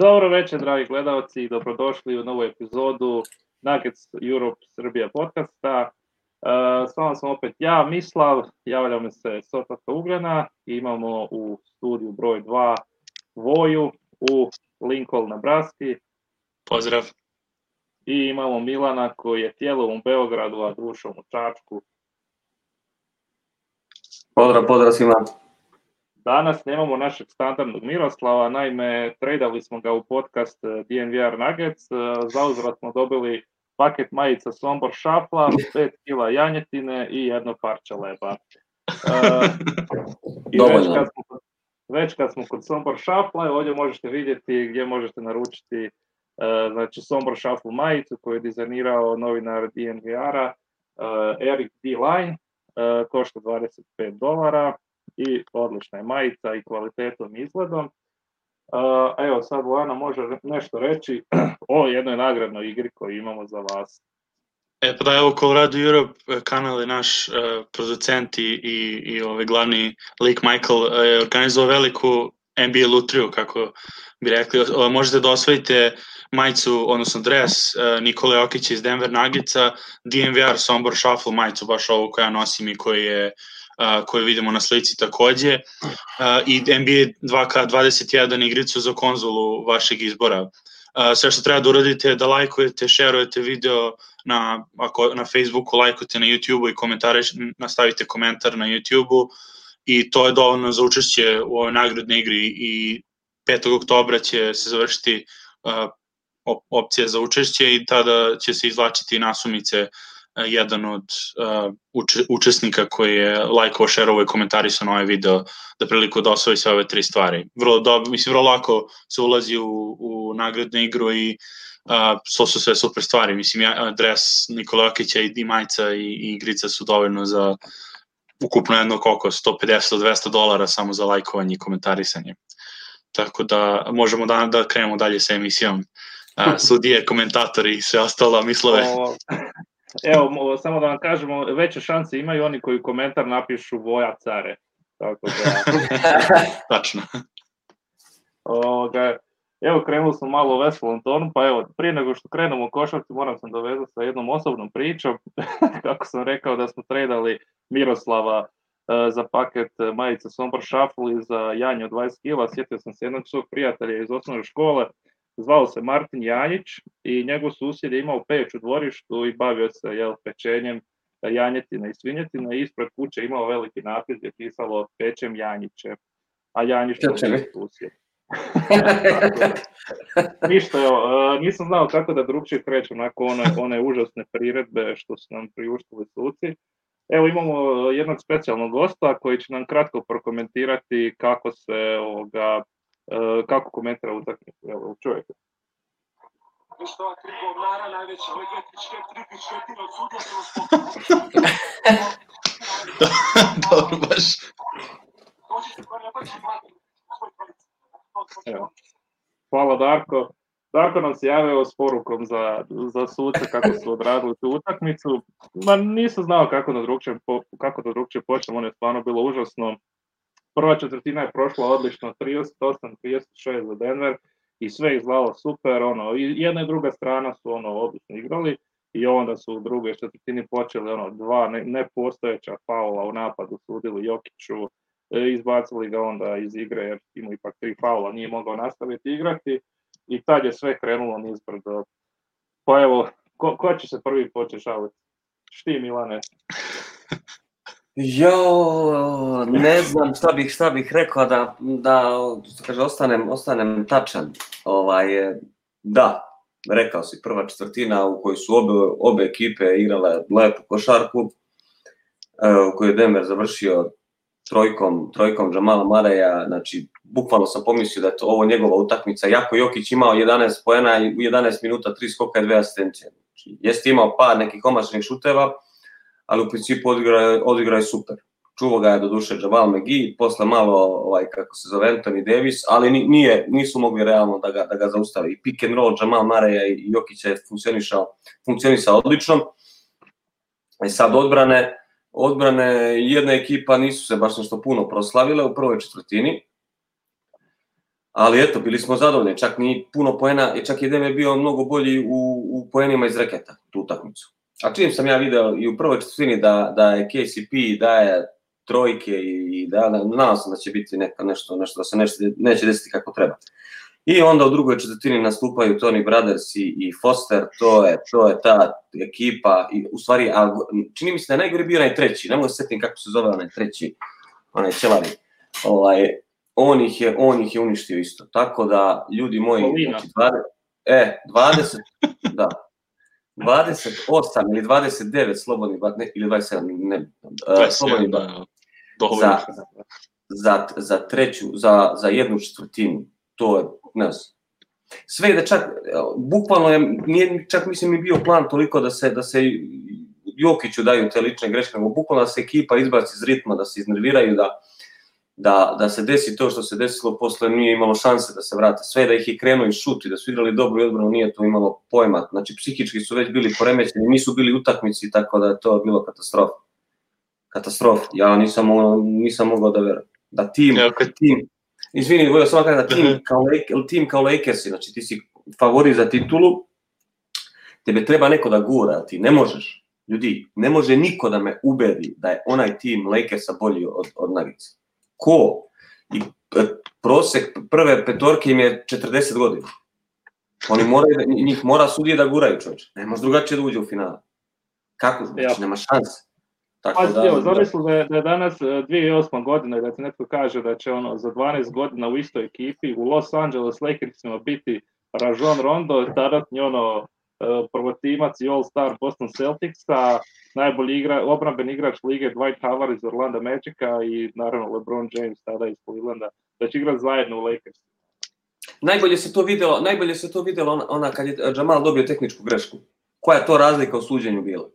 Dobro večer, dragi gledalci, i dobrodošli u novu epizodu Nuggets Europe Srbija podcasta. S vama sam opet ja, Mislav, javljamo se s otoka Ugljena i imamo u studiju broj 2 Voju u Lincoln, Nebraski. Pozdrav. I imamo Milana koji je tijelom u Beogradu, a dušom u Čačku. Pozdrav svima. Danas nemamo našeg standardnog Miroslava, naime, tradali smo ga u podcast DNVR Nuggets, zauzvrat smo dobili paket majica Sombor Šafla, 5 kila janjetine i jedno parče leba. I već kad smo kod Sombor Šafla, ovdje možete vidjeti gdje možete naručiti znači Sombor Šaflu majicu koju je dizajnirao novinar DNVR-a Eric D. Line, košta $25 i odlična je majica i kvalitetom i izgledom. Evo sad Vojana može nešto reći o jednoj nagradnoj igri koju imamo za vas. Pa da, evo Colorado Europe kanal je naš producent i glavni lik Michael je organizovao veliku NBA lutriju, kako bi rekli. Možete da osvojite majicu, odnosno dres Nikole Jokića iz Denver Nuggetsa, DNVR Sombor Shuffle majicu, baš ovu koju ja nosim i koju vidimo na slici takođe, i NBA 2K21 igricu za konzolu vašeg izbora. Sve što treba da uradite je da lajkujete, šerujete video na Facebooku, lajkujete na YouTubeu i nastavite komentar na YouTubeu, i to je dovoljno za učešće u ovoj nagradnoj igri. I 5. oktobra će se završiti opcija za učešće i tada će se izvlačiti nasumice jedan od učesnika koji je lajkovao, šerovao i komentarisao na ovaj video da priliku da osvoji sve ove 3 stvari. Vrlo lako se ulazi u nagradnu igru i to su sve super stvari. Mislim, dres Nikola Jokića i majica i igrica su dovoljno za ukupno jedno koliko, $150-200 samo za lajkovanje i komentarisanje. Tako da možemo da krenemo dalje sa emisijom. Sudije, komentatori i sve ostalo, Mislove. Evo, samo da vam kažemo, veće šanse imaju oni koji komentar napišu Voja care. Tako da... Tačno. Evo, krenuli smo malo u veselom tonu, pa evo, prije nego što krenemo u košarci, moram sam dovezati sa jednom osobnom pričom. Kako sam rekao da smo tradali Miroslava za paket majica Sombor Shuffle i za janje od 20 kila, sjetio sam se jednog svog prijatelja iz osnovne škole, zvao se Martin Janjić i njegov susjed je imao peć u dvorištu i bavio se pečenjem janjetina i svinjetina i ispred kuće imao veliki napis gdje je pisalo pečem Janjiće, a Janjić to je susjed. Ništa, nisam znao kako da drugčije krećem nakon one užasne priredbe što su nam priuštili suci. Evo imamo jednog specijalnog gosta koji će nam kratko prokomentirati kako se kako komentira utakmicu. Evo, čujete. Što je 3 govnara najveća, ovo je 3 od sudija Dobro, baš. Hvala Darko. Darko nam se javio s porukom za suce kako su odradili tu utakmicu. Nisam znao kako da drugčije počnem, ono je stvarno bilo užasno. Prva četvrtina je prošla odlično, 38-36 za Denver i sve izgledalo super, i jedna i druga strana su odlično igrali i onda su u drugoj četvrtini počeli 2 nepostojeća faula u napadu, sudili Jokiću, izbacili ga onda iz igre jer imao ipak 3 faula, nije mogao nastaviti igrati i tad je sve krenulo nizbrdo. Pa evo, ko će se prvi početi šaliti? Šti, Milane? Ne znam šta bih rekao da kaže, ostanem tačan. Da, rekao si, prva četvrtina u kojoj su obe ekipe igrale lepu košarku, u kojoj je Denver završio trojkom Jamala Murraya, znači bukvalno sam pomislio da je to ovo njegova utakmica, jako Jokić imao 11 poena i u 11 minuta 3 skoka i 2 asistencije. Znači, jeste imao par nekih komačnih šuteva, ali u principu odigrao je super. Čuvao ga je do duše Jamal McGee, posle malo, Anthony Davis, ali nisu mogli realno da ga zaustavi. I pick and roll Jamal Murraya i Jokića je funkcionisao odlično. I sad odbrane jedna ekipa nisu se baš nešto puno proslavile u prvoj četvrtini. Ali eto, bili smo zadovoljni, čak ni puno poena, čak i Dem je bio mnogo bolji u poenima iz reketa, tu utakmicu. A čim sam ja video i u prvoj četvrtini da je KCP daje trojke i da nadam se da će biti nešto da se neće desiti kako treba. I onda u drugoj četvrtini nastupaju Tony Brothers i Foster, to je ta ekipa, i u stvari, čini mi se da je najgori bio onaj treći, ne mogu se sjetiti kako se zove onaj treći, onaj Ćelari, on ih je uništio isto, tako da, ljudi moji, znači 20, da, 28 ili 29 slobodnih batne, ili 27, ne, slobodnih batne, za treću, za jednu četvrtinu, to je, ne znam, sve da čak, bukvalno je, nije čak mislim i bio plan toliko da se Jokiću daju te lične greške, nego bukvalno da se ekipa izbaci iz ritma, da se iznerviraju, da se desi to što se desilo, posle nije imalo šanse da se vrate. Sve da ih je krenuo i šut i da su igrali dobro i odbranu, nije to imalo pojma. Znači, psihički su već bili poremećeni, nisu bili utakmici, tako da je to bilo katastrofa. Katastrofa. Ja nisam mogao da verujem. Da tim, izvini, volio sam kada tim kao Lakersi, znači ti si favorit za titulu, tebe treba neko da gura, ti ne možeš. Ljudi, ne može niko da me ubedi da je onaj tim Lakersa bolji od Nuggetsa. Ko? I prosek prve petorke im je 40 godina. Njih mora sudije da guraju, čovječe. Ne može drugačije da uđe u finale. Kako? Znači, nema šanse. Zamisli da je danas 2008. godina i da ti netko kaže da će za 12 godina u istoj ekipi u Los Angeles Lakersima biti Rajon Rondo, tadatnji prvotimac i All-Star Boston Celticsa, najbolji obrambeni igrač lige Dwight Howard iz Orlanda Magica i naravno LeBron James tada iz Clevelanda, da će igrati zajedno u Lakers. Najbolje se to vidjelo ona kad je Jamal dobio tehničku grešku. Koja je to razlika u suđenju bila?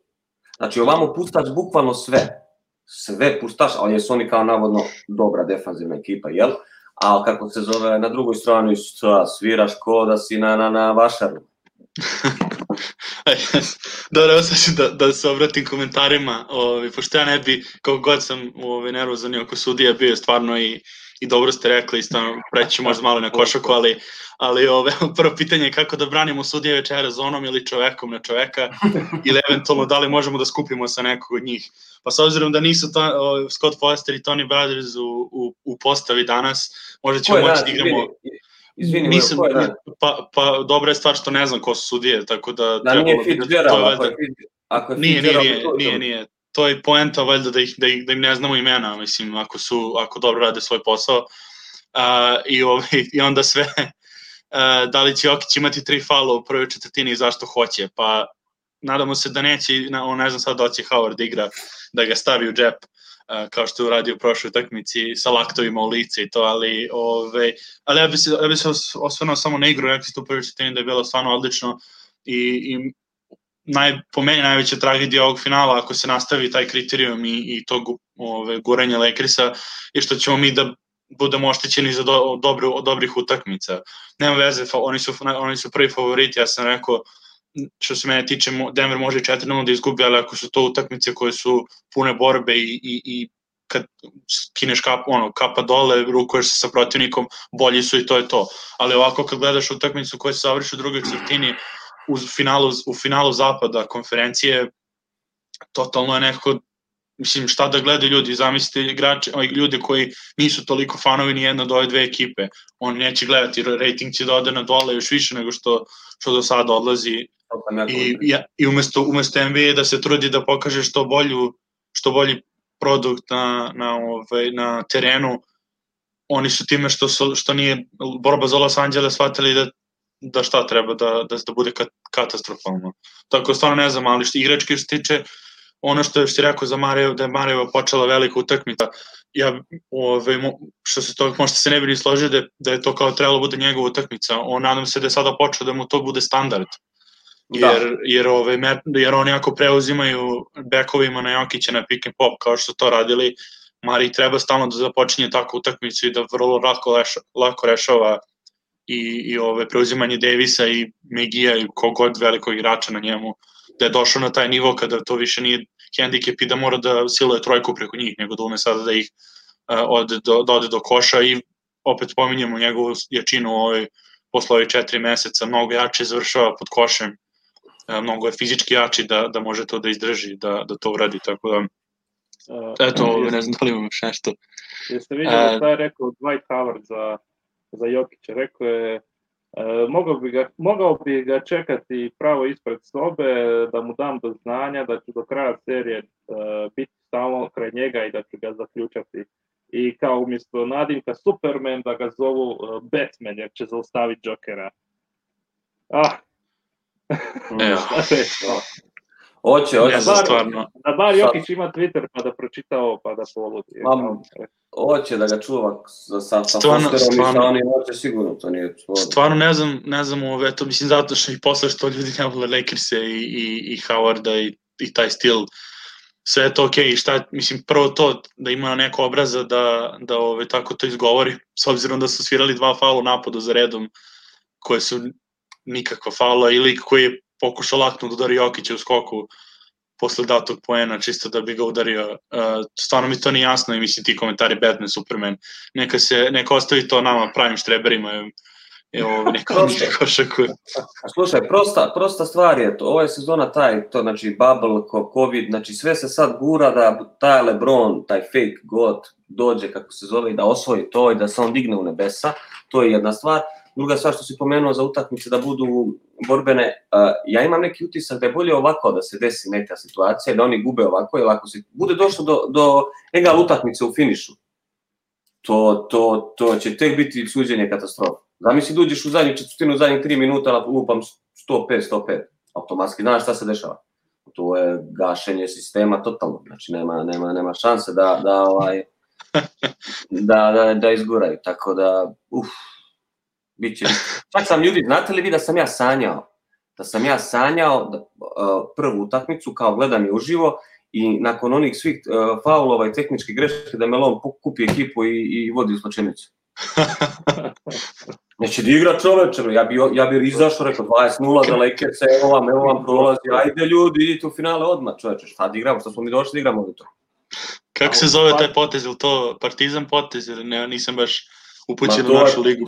Znači, ovamo pustaš bukvalno sve pustaš, ali jesu oni kao navodno dobra defanzivna ekipa, jel? A kako se zove na drugoj strani, sviraš ko da si na vašaru. Dobro, evo sad ću da se obratim komentarima, pošto ja ne bi, kako god sam nervozan oko sudija bio stvarno i dobro ste rekli, isto preći možda malo na košaku, ali prvo pitanje je kako da branimo sudije večera zonom ili čovekom na čoveka ili eventualno da li možemo da skupimo sa nekog od njih. Pa s obzirom da nisu Scott Foster i Tony Brothers u postavi danas, možda ćemo moći da igramo... Izvini, pa dobra je stvar što ne znam ko su sudije, tako da... Da nije Fitzgerald, ako je Fitzgerald... Nije. To je poenta valjda da im ne znamo imena, mislim, ako dobro rade svoj posao. I onda sve, da li će Jokić imati 3 faula u prvoj četvrtini i zašto hoće, pa nadamo se da neće, ne znam sad da će Howard igra, da ga stavi u džep, kao što je uradio u prošloj utakmici sa laktovima u lice i to, ali ja bi se osvrnuo samo na igru, rekli ste u prvoj četvrtini da je bilo stvarno odlično i po meni najveća tragedija ovog finala, ako se nastavi taj kriterijum i to guranje Lakersa, je što ćemo mi da budemo oštećeni za dobrih utakmica. Nema veze, oni su prvi favoriti, ja sam rekao, što se mene tiče, Denver može 4-0 da izgubi, ali ako su to utakmice koje su pune borbe i kad skineš kapa dole, rukuješ se sa protivnikom, bolji su i to je to. Ali ovako kad gledaš utakmicu koja se završi u drugoj četvrtini, u finalu zapada konferencije, totalno je nekako, mislim, šta da gledaju ljudi, zamislite ljudi koji nisu toliko fanovi ni jedna od ove dve ekipe, oni neće gledati, rating će da ode na dole još više nego što do sada odlazi i umesto NBA da se trudi da pokaže što bolji produkt na terenu, oni su time što nije borba za Los Angeles shvatili da šta treba da bude katastrofalno. Tako stvarno ne znam, ali igrački što se tiče, ono što je rekao za Mario, da je Mario počela velika utakmica, što se toga možda se ne bi ni složio da je to kao trebalo bude njegova utakmica, nadam se da je sada počeo da mu to bude standard, jer oni ako preuzimaju bekovima na Jokića na pick and pop kao što to radili, Mari treba stalno da započinje takvu utakmicu i da vrlo lako rešava i preuzimanje Davisa i Megija i kogod velikog igrača na njemu, da je došao na taj nivo kada to više nije hendikep i da mora da siluje trojku preko njih, nego da ume sada da ih ode do koša i opet spominjemo njegovu jačinu posle ovih 4 meseca, mnogo jače završava pod košem, mnogo je fizički jači da može to da izdrži, da to uradi, tako da eto, ne znam da li imam još nešto. Jeste vidjeli šta je rekao Dwight Howard za Jokića? Rekao je, mogao bi ga čekati pravo ispred sobe, da mu dam do znanja da ću do kraja serije biti stalno kraj njega i da ću ga zaključati. I kao umjesto nadimka Superman da ga zovu Batman jer će zaustaviti Jokera. Hoće, stvarno. Da bar Jokić ima Twitter pa da pročita ovo pa da poludi. Hoće da ga čuva sa Fosterom i sa onim hoće sigurno, to nije sporno. Stvarno ne znam to mislim zato što i posle što ljudi ne vole Lakerse i Howarda i taj stil, sve je to okej, šta, mislim, prvo to da ima neko obraza da tako to izgovori, s obzirom da su svirali 2 faula u napadu za redom, koje su nikakva faula, ili koji je pokušao lakno da udari Jokića u skoku posle datog poena, čisto da bi ga udario. Stvarno mi to nije jasno i mislim ti komentari Batman, Superman, neka ostavi to nama pravim štreberima, evo neko košaku. Slušaj, prosta stvar je to, ovo je sezona to znači bubble, covid, znači sve se sad gura da taj LeBron, taj fake god dođe kako se zove i da osvoji to i da se on digne u nebesa, to je jedna stvar. Druga stvar što si pomenuo za utakmice da budu borbene, ja imam neki utisak da je bolje ovako da se desi neka situacija, da oni gube ovako, jer ako se bude došlo do egal utakmice u finišu, to će tek biti suđenje katastrofa. Zamisli da uđeš u zadnju četvrtinu, u zadnjih 3 minuta, lupam 105, automatski, znaš šta se dešava. To je gašenje sistema totalno, znači nema šanse da izguraju, tako da, biće. Čak sam ljudi, znate li vi da sam ja sanjao prvu utakmicu, kao gledam je uživo i nakon onih svih faulova i tehničkih greške da Melon kupi ekipu i vodi u slačenicu. Neće da igra čoveče, ja bi izašao, rekao 20-0 za Lakersa, evo vam prolazi, ajde ljudi, idite u finale odmah čoveče, šta da igramo, što smo mi došli da igramo ovdje to. Kako se zove taj potez, ili to Partizan potez, ili ne, nisam baš upućen u našu ligu.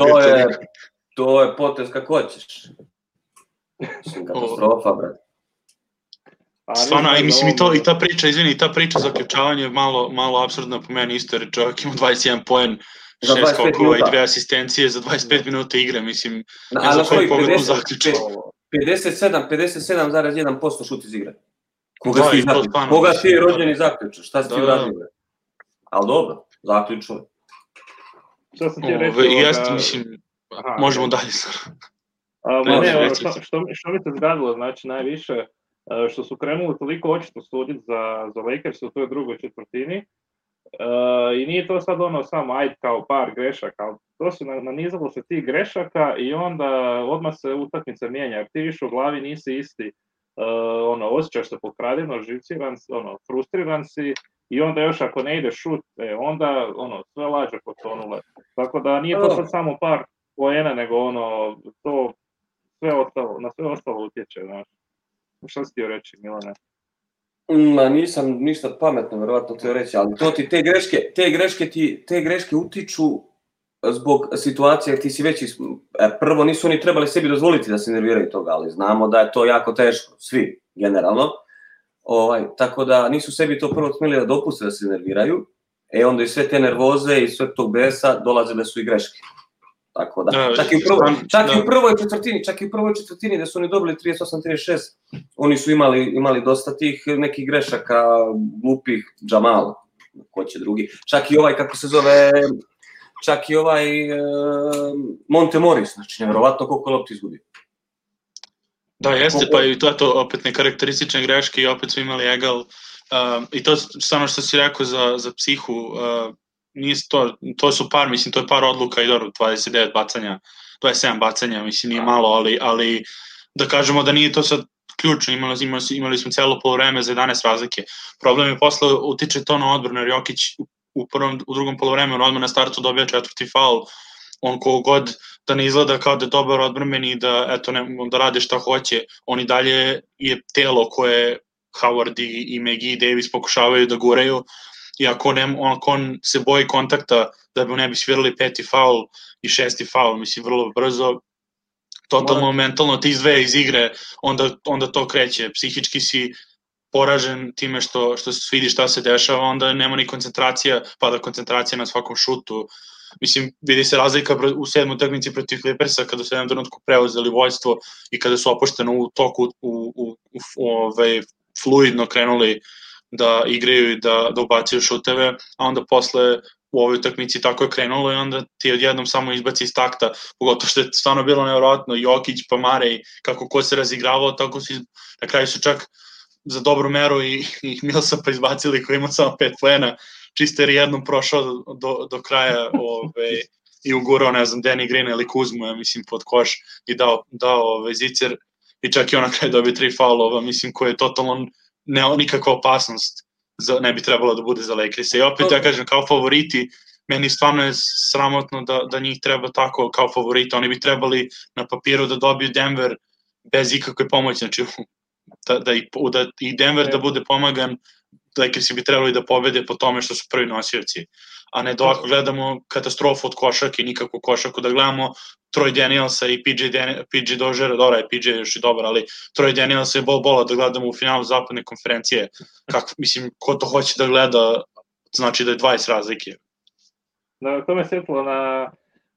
To je potez kako hoćeš. Mislim, katastrofa, brate. Stvarno, mislim i ta priča, izvini, ta priča za ključavanje je malo apsurdna po meni isto, jer čovjek ima 21 poen, 6 skokova i 2 asistencije za 25 minuta igre, mislim, ne znam koji pogled mu zaključao. 57,1% šut iz igre. Koga ti je rođeni zaključaš, šta si ti uradio? Ali dobro, zaključao. Što sam ti reći? Jeste, mislim, možemo dalje sad. Što mi se zgadilo, znači najviše, što su krenuli toliko očito suditi za Lakers u toj drugoj četvrtini i nije to sad samo ajde kao par grešaka, ali to se nanizalo se tih grešaka i onda odmah se utakmica mijenja, jer ti više u glavi nisi isti, osjećaš se pokradeno, živciran si, frustriran si i onda još ako ne ide šut, onda sve lađe potonule. Tako da nije to sad samo par poena, nego to na sve ostalo utječe, znaš. Što si ti reći, Milane? Nisam ništa pametno, verovatno ti reći, ali to ti te greške utiču zbog situacije, ti si već, prvo nisu oni trebali sebi dozvoliti da se nerviraju toga, ali znamo da je to jako teško, svi, generalno, tako da nisu sebi to prvo smjeli da dopuste da se nerviraju, onda i sve te nervoze i sve tog besa dolaze da su i greške. Tako da, čak i u prvoj četvrtini da su oni dobili 38-36, oni su imali dosta tih nekih grešaka, glupih, Jamal, ko će drugi, čak i kako se zove, čak i Monte Morris, znači nevjerovatno koliko lopti izgubio. Da, jeste, pa i to je to opet nekarakteristične greške i opet su imali egal, i to stvarno što si rekao za psihu, to su par, mislim, to je par odluka i dobro, 29 bacanja, 27 bacanja, mislim, nije malo, ali da kažemo da nije to sad ključno, imali smo celo polovreme za 11 razlike. Problem je posle utiče to na odbranu, jer Jokić u drugom polovremenu odmah na startu dobija 4. faul, on kogod da ne izgleda kao da je dobar odbrambeni i da rade šta hoće, on i dalje je telo koje Howard i McGee i Davis pokušavaju da guraju, i ako on se boji kontakta da bi mu ne bi svirali 5. faul i 6. faul, mislim vrlo brzo, totalno mentalno ti izdvaja iz igre, onda to kreće, psihički si poražen time što se vidi šta se dešava, onda nema ni koncentracija, pada koncentracija na svakom šutu. Mislim, vidi se razlika u 7. utakmici protiv Clippersa kada su jednom trenutku preuzeli vođstvo i kada su opušteno u toku fluidno krenuli da igraju i da ubacuju šuteve, a onda posle u ovoj utakmici tako je krenulo i onda ti odjednom samo izbaci iz takta, pogotovo što je stvarno bilo nevjerojatno, Jokić pa Marej, kako ko se razigravao, tako su na kraju su čak za dobru meru i Millsapa izbacili koji ima samo 5 poena, čisto jer je jednom prošao do kraja i ugurao, ne znam, Danny Green ili Kuzmu, ja mislim, pod koš i dao zicer i čak i on na kraju dobio 3 faulova, mislim, koje je totalno nikakva opasnost ne bi trebalo da bude za Lakers. I opet ja kažem, kao favoriti, meni stvarno je sramotno da njih treba tako kao favorita, oni bi trebali na papiru da dobiju Denver bez ikakve pomoći, znači da i Denver da bude pomagan, Lakersi bi trebali da pobede po tome što su prvi nosioci, a ne da ovako gledamo katastrofu od košarke, nikakvu košarku, da gledamo Troy Danielsa i PJ Doziera, dobra je PJ još i dobar, ali Troy Danielsa je bol da gledamo u finalu zapadne konferencije, mislim, ko to hoće da gleda, znači da je 20 razlike. To me sjetilo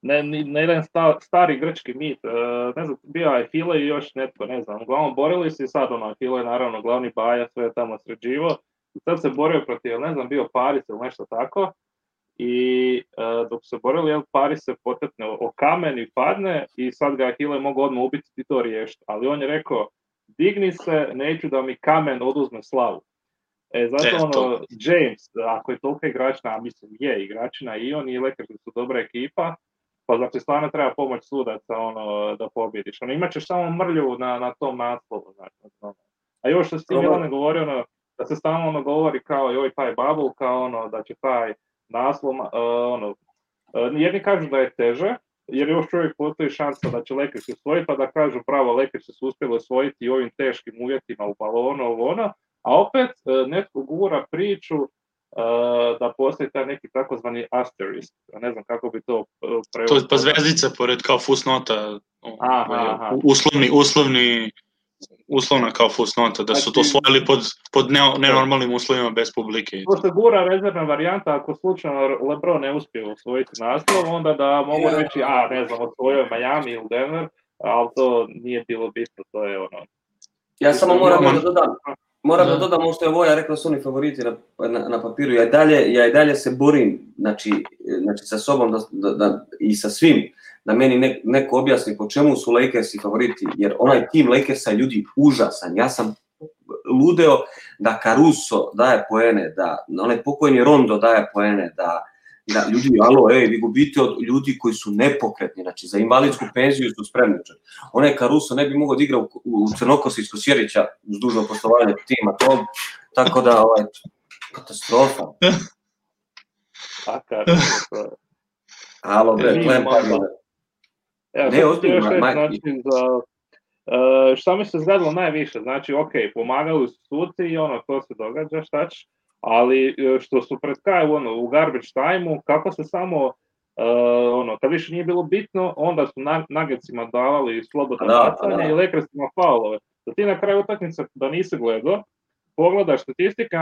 na jedan stari grčki mit, ne znam, bio je Ahile i još netko, ne znam, uglavnom borili se i sad Ahile je naravno glavni baja, sve je tamo sređivo, i sad se borio protiv, ne znam, bio Paris ili nešto tako, i dok se borili, Paris se potetne o kamen i padne i sad ga Ahile mogu odmah ubiti i to riješiti, ali on je rekao, digni se, neću da mi kamen oduzme slavu. Zato James, ako je toliko igračna, a mislim je igračina i on i Lakers su dobra ekipa, pa znači stvarno treba pomoć sudaca da pobjediš. Imat ćeš samo mrlju na tom naslovu. Znači. A još što s tim Milane govorio, da se stalno govori kao joj taj bubble, kao da će taj naslov, jedni kažu da je teže, jer još uvijek postoji šansa da će Lakers osvojiti, pa da kažu pravo Lakers su uspjeli osvojiti u ovim teškim uvjetima u balonu, a opet netko gura priču da postoji taj neki takozvani asterisk, ne znam kako bi to prevodio. To je pa zvezdica pored kao fusnota, uslovna kao fusnota, da su to osvojili pod nenormalnim uslovima bez publike. To se gura rezervna varijanta, ako slučajno LeBron ne uspije osvojiti naslov, onda da mogu reći, ne znam, osvojio Miami ili Denver, ali to nije bilo bitno, to je Ja samo moram da dodam ovo što je Voja rekao, su oni favoriti na papiru. Ja i dalje se borim, znači sa sobom i sa svim, da meni neko objasni po čemu su Lakersi favoriti, jer onaj tim Lakersa je ljudi užasan. Ja sam ludeo da Caruso daje poene, da onaj pokojni Rondo daje poene, da ljudi, vi gubite od ljudi koji su nepokretni, znači za invalidsku penziju su spremni. Onaj Caruso ne bi mogao da igra u Crnokosu iz Kosjerića uz dužno poštovanje tima, tako da, katastrofa. Alo, ne, ozbiljno, šta mi se zgadilo najviše, znači, pomagali su suci i to se događa, šta će, ali što su pred kraj u garbage time-u, kako se samo, kad više nije bilo bitno, onda su Nuggetsima davali slobodno bacanje i Lakersima faulove. Da ti na kraju utakmice, da nisi gledao, pogledaš statistike,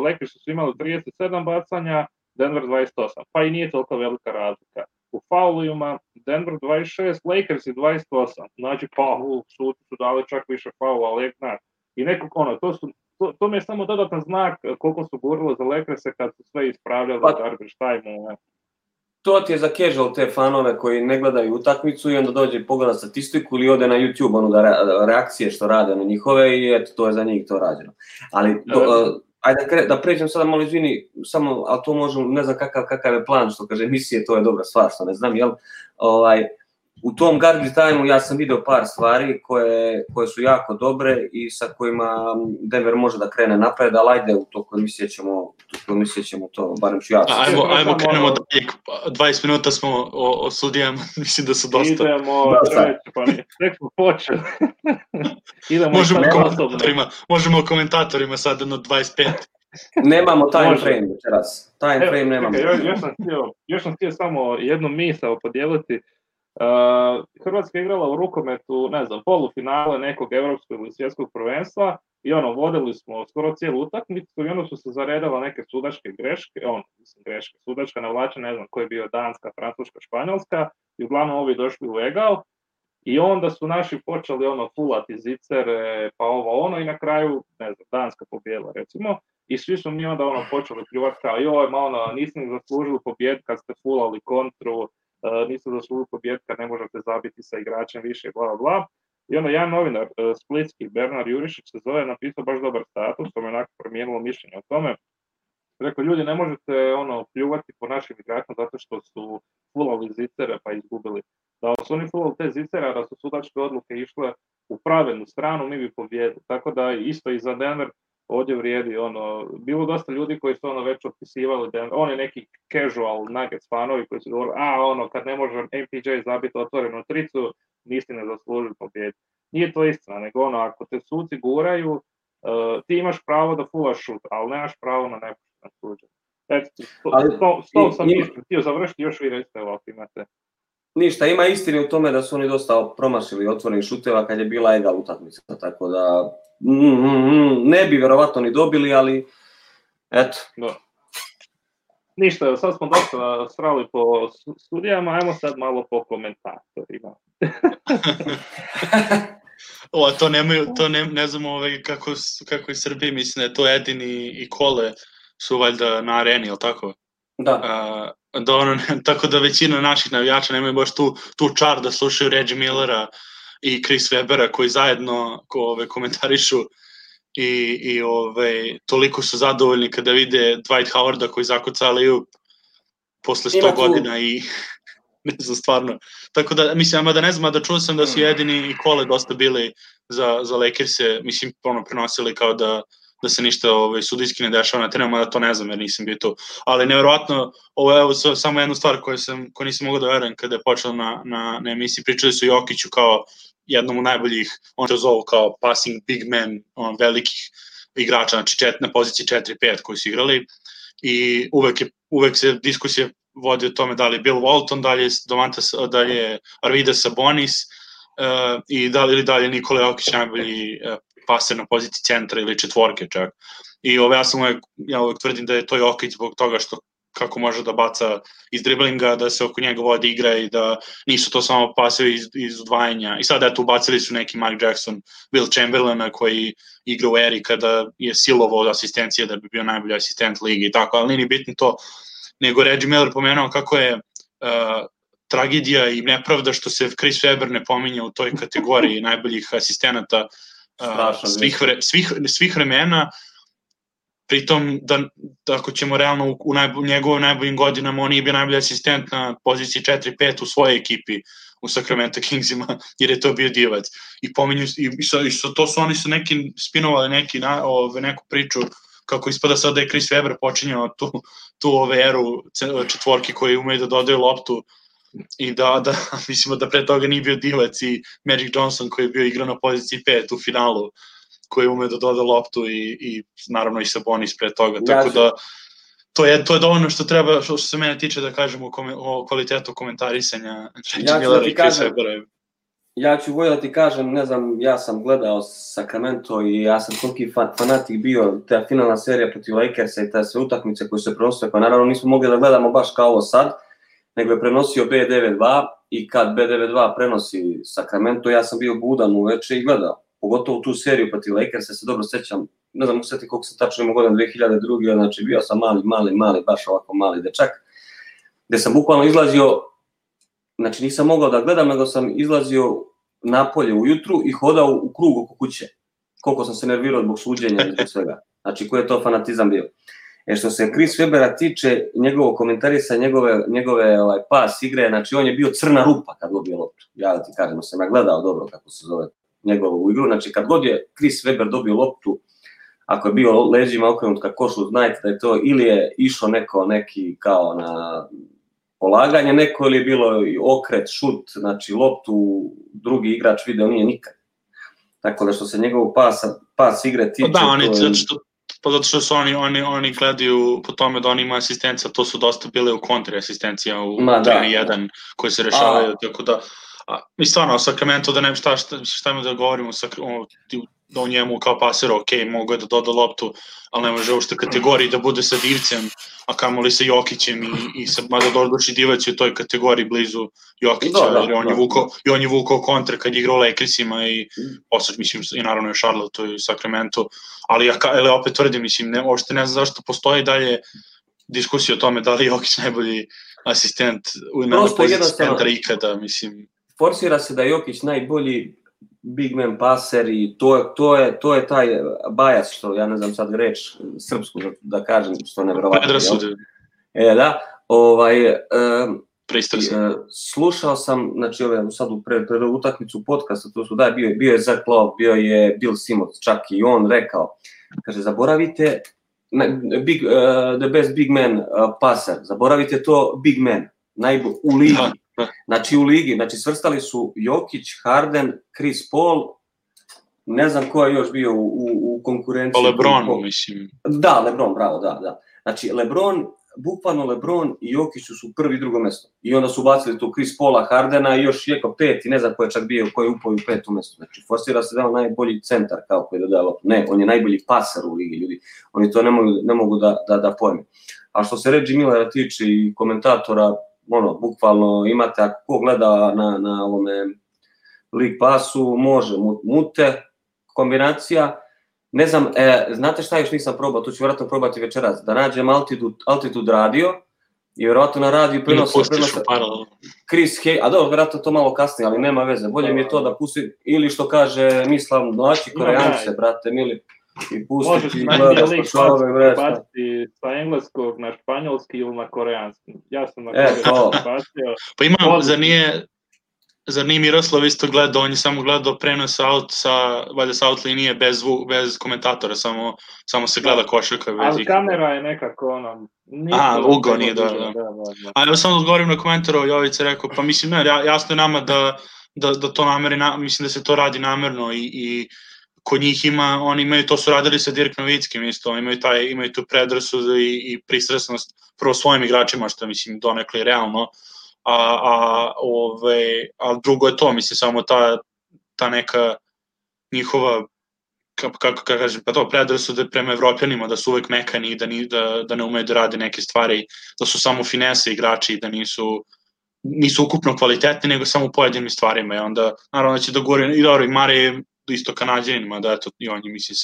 Lakersi su imali 37 bacanja, Denver 28, pa i nije toliko velika razlika. U faulima Denver 26, Lakersi 28, znači suci su dali čak više faula, i nekako to mi je samo dodatan znak koliko su gurilo za Lakerse kad su sve ispravljali u garbage time-u. To ti je za casual te fanove koji ne gledaju utakmicu i onda dođe i pogleda statistiku ili ode na YouTube, reakcije što rade na njihove i eto, to je za njih to rađeno. Ali, ajde da pređem sada malo, izvini, samo, ali to možemo, ne znam kakav je plan, što kaže emisije, to je dobra stvar, što ne znam, jel? U tom garbage time-u ja sam video par stvari koje su jako dobre i sa kojima Denver može da krene napred, ali ajde u toku emisije ćemo to, barem ću ja. Ajmo krenemo dalje, 20 minuta smo o sudijama, mislim da su dosta. Idemo, tek smo počeli. Možemo o komentatorima sad na 25. Nemamo time frame večeras. Time frame nemamo. Još sam htio samo jednu misao podijeliti. Hrvatska je igrala u rukometu, ne znam, polufinale nekog evropskog ili svjetskog prvenstva i vodili smo skoro cijelu utakmicu i onda su se zaredala neke sudačke greške, sudačka navlača, ne znam koji je bio Danska, Francuska, Španjolska i uglavnom ovi došli u egal i onda su naši počeli fulati zicere, pa i na kraju, ne znam, Danska pobjela recimo i svi su mi onda počeli pljuvati kao joj, niste ni zaslužili pobjed kad ste fulali kontru, niste zaslužili pobjed kad ne možete zabiti sa igračem više, bla, bla. I onda jedan novinar, splitski, Bernard Jurišić se zove, napisao baš dobar status, to me onako promijenilo mišljenje o tome. Rekao, ljudi, ne možete pljuvati po našim igračima zato što su fulali zicere pa izgubili. Da su oni fulali te zicere, da su sudačke odluke išle u pravilnu stranu, mi bi pobjedili. Tako da isto i za Denver ovdje vrijedi, bilo dosta ljudi koji su već otpisivali Denver, oni neki casual Nuggets fanovi koji su govorili, kad ne može MPJ zabiti otvorenu tricu, nisi ne zaslužili pobjedu. Nije to istina, nego ako te suci guraju, ti imaš pravo da fulaš šut, ali nemaš pravo na nepošteno suđenje. S tom sam htio završiti, još vi recite ovako imate. Ništa, ima istine u tome da su oni dosta promašili otvorenih šuteva kad je bila egal utakmica, tako da ne bi vjerovatno ni dobili, ali eto. Ništa, sad smo dosta srali po studijama, ajmo sad malo po komentatorima. To ne znam kako iz Srbije, mislim da je to Edin i Kole su valjda na areni, ili tako? Da. Tako da većina naših navijača nemaju baš tu čar da slušaju Reggie Millera i Chris Webera koji zajedno komentarišu i toliko su zadovoljni kada vide Dwight Howarda koji zakuca alley-oop posle 100 godina i ne znam stvarno. Tako da, mislim, da ne znam, da čuo sam da su Jedini i Kole dosta bili za Lakers-e, mislim, prenosili kao da se ništa sudijski ne dešava na terenu, da to ne znam jer nisam bio tu. Ali nevjerovatno, ovo je samo jedna stvar koju nisam mogao da verujem kada je počelo na emisiji, pričali su Jokiću kao jednom od najboljih, on to zovu kao passing big man, velikih igrača, znači na poziciji 4-5 koji su igrali i uvek se diskusije vodi o tome da li je Bill Walton, da li je Arvydas Sabonis i da li je Nikola Jokić najbolji paser na poziciji centra ili četvorke čak. I ja uvek tvrdim da je to Jokić zbog toga što kako može da baca iz driblinga, da se oko njega vodi igra i da nisu to samo pasevi iz udvajanja. I sad eto ubacili su neki Mike Jackson, Will Chamberlaina koji igra u eri kada je silovo od asistencije da bi bio najbolji asistent ligi i tako, ali nije bitno to. Nego Reggie Miller pomenuo kako je tragedija i nepravda što se Chris Webber ne pominje u toj kategoriji najboljih asistenata svih vremena, pritom da ako ćemo realno u njegovim najboljim godinama on nije bio najbolji asistent na poziciji 4-5 u svojoj ekipi u Sacramento Kingsima, jer je to bio divac. I pominju, to su oni su neki spinovali neku priču kako ispada sad da je Chris Webber počinjao tu eru četvorki koji umeju da dodaju loptu i da mislimo da pre toga nije bio divac i Magic Johnson koji je bio igrao na poziciji 5 u finalu koji ume da doda loptu i naravno i Sabonis pre toga, tako da to je dovoljno što treba, što se mene tiče da kažemo o kvalitetu komentarisanja Millera i Chris Webbera. Ja ću Vojla ti kažem, ne znam, ja sam gledao Sacramento i ja sam toliki fanatik bio, ta finalna serija protiv Lakersa i te sve utakmice koje se prenosile, pa naravno nismo mogli da gledamo baš kao ovo sad, nego je prenosio B92 i kad B92 prenosi Sacramento, ja sam bio budan uveče i gledao. Pogotovo tu seriju protiv Lakersa, se dobro sećam, ne znam usjeti koliko sam tačno imao godina 2002. Znači bio sam mali, baš ovako mali dečak, gde sam bukvalno izlazio, znači nisam mogao da gledam, nego sam izlazio napolje ujutru i hodao u krug oko kuće. Koliko sam se nervirao zbog suđenja i zbog svega. Znači koji je to fanatizam bio. Što se Chris Webbera tiče, njegovo komentarisa, njegove pas igre, znači on je bio crna rupa kad dobio loptu. Ja da ti kažem, sam ja gledao dobro kako se zove njegovu igru, znači kad god je Chris Webber dobio loptu, ako je bio leđima okrenut ka košu, znajte da je to ili je išao neki kao na polaganje neko ili je bilo okret, šut, znači loptu drugi igrač video nije nikad. Tako da što se njegovog pas igre tiče... Da, on je Pa zato što su oni gledaju po tome da oni imaju asistencija, to su dosta bile u kontri asistencija u 3-1 koje se rešavaju, tako da mi stvarno o Sacramento da ne šta ima da govorimo da o njemu kao paser, ok, mogu je da doda loptu, ali ne može uopšte kategoriji da bude sa Divcem, a kamoli sa Jokićem i mada Dordoči Divac je u toj kategoriji blizu Jokića, jer on je vukao kontre kad je igrao Lakersima i posle, mislim, i naravno je Charlotte i Sacramento, ali opet tvrdim, mislim, uopšte ne znam zašto postoji dalje diskusija o tome da li je Jokić najbolji asistent na poziciji centra ikada, mislim. Forsira se da je Jokić najbolji big man paser i to je taj bias, što ja ne znam sad reč srpsku da kažem, što je nevjerovatno. Predrasude. Da, slušao sam, znači sad pred utakmicu podcasta, to su bio je Zach Love, bio je Bill Simmons, čak i on rekao, kaže, zaboravite the best big man paser, zaboravite to big man, u ligi. Znači u ligi, znači svrstali su Jokić, Harden, Chris Paul, ne znam ko je još bio u konkurenciji. LeBron, mislim. Da, LeBron, bravo, da. Znači bukvalno LeBron i Jokić su prvi i drugo mesto. I onda su bacili tu Chris Paula, Hardena i još Jeko peti, ne znam ko je čak bio, ko je upao u petu mesto. Znači forsira se da je on najbolji centar kao koji je dodao. Ne, on je najbolji paser u ligi, ljudi. Oni to ne mogu da pojme. A što se Reggie Millera tiče i komentatora, bukvalno imate, ako ko gleda na ovome League Passu, može mute, kombinacija, ne znam, znate šta još nisam probao, to ću vjerojatno probati večeras, da nađem Altitude radio i vjerojatno na radiju prenosa Chris Hayes, a dobro, vjerojatno to malo kasnije, ali nema veze, bolje mi je to da pustim, ili što kaže Mislav Mlači, Koreance, brate mili, i pustiti i gledati slučajove vresta. Sa engleskog na španjolski ili na koreanski. Ja sam na koreanski bacio. Pa ima, zar nije Miroslav isto gledao, on je samo gledao prenos valjda sa out linije bez komentatora, samo se gleda košarka. Ali kamera je nekako ugao nije, da. A evo samo odgovorim na komentar, Jovica rekao, pa mislim, jasno je nama da to mislim da se to radi namerno i kod njih oni imaju, to su radili sa Dirk Novickim isto, imaju tu predrasudu i pristrasnost prvo svojim igračima, što mislim donekle realno, a drugo je to, mislim, samo ta neka njihova, kako kažem, pa to predrasude prema Evropljanima, da su uvek mekani i da ne umeju da rade neke stvari, da su samo finese igrači i da nisu ukupno kvalitetni, nego samo u pojedinim stvarima, i onda naravno da će da govori, i dobro, i Mare isto Kanadjanima, da eto, i on je misli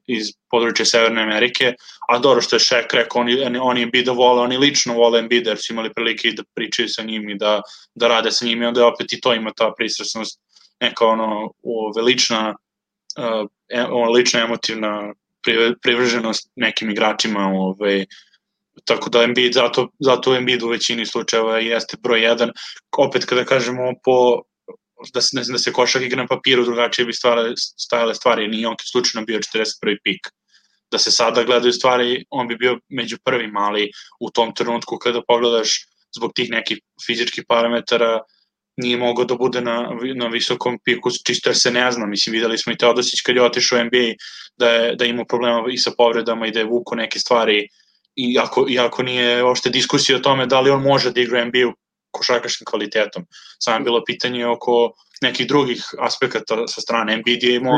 iz područja Severne Amerike, a dobro što je Shaq rekao, oni Embida vole, oni lično vole Embida, jer su imali prilike da pričaju sa njim i da rade sa njim, i onda opet i to ima ta pristrasnost, neka lična emotivna privrženost nekim igračima, tako da Embiid, zato Embiid u većini slučajeva jeste broj 1, opet kada kažemo da se košak igra na papiru, drugačije bi stajale stvari, nije on slučajno bio 41. pik. Da se sada gledaju stvari, on bi bio među prvima, ali u tom trenutku kada pogledaš zbog tih nekih fizičkih parametara nije mogao da bude na visokom piku, čisto jer se ne zna. Mislim, videli smo i Teodosić kad je otišao u NBA da je imao problema i sa povredama i da je vuko neke stvari, iako nije uopšte diskusija o tome da li on može da igra NBA košarkaškim kvalitetom. Samo je bilo pitanje oko nekih drugih aspekata sa strane. Embiid je imao,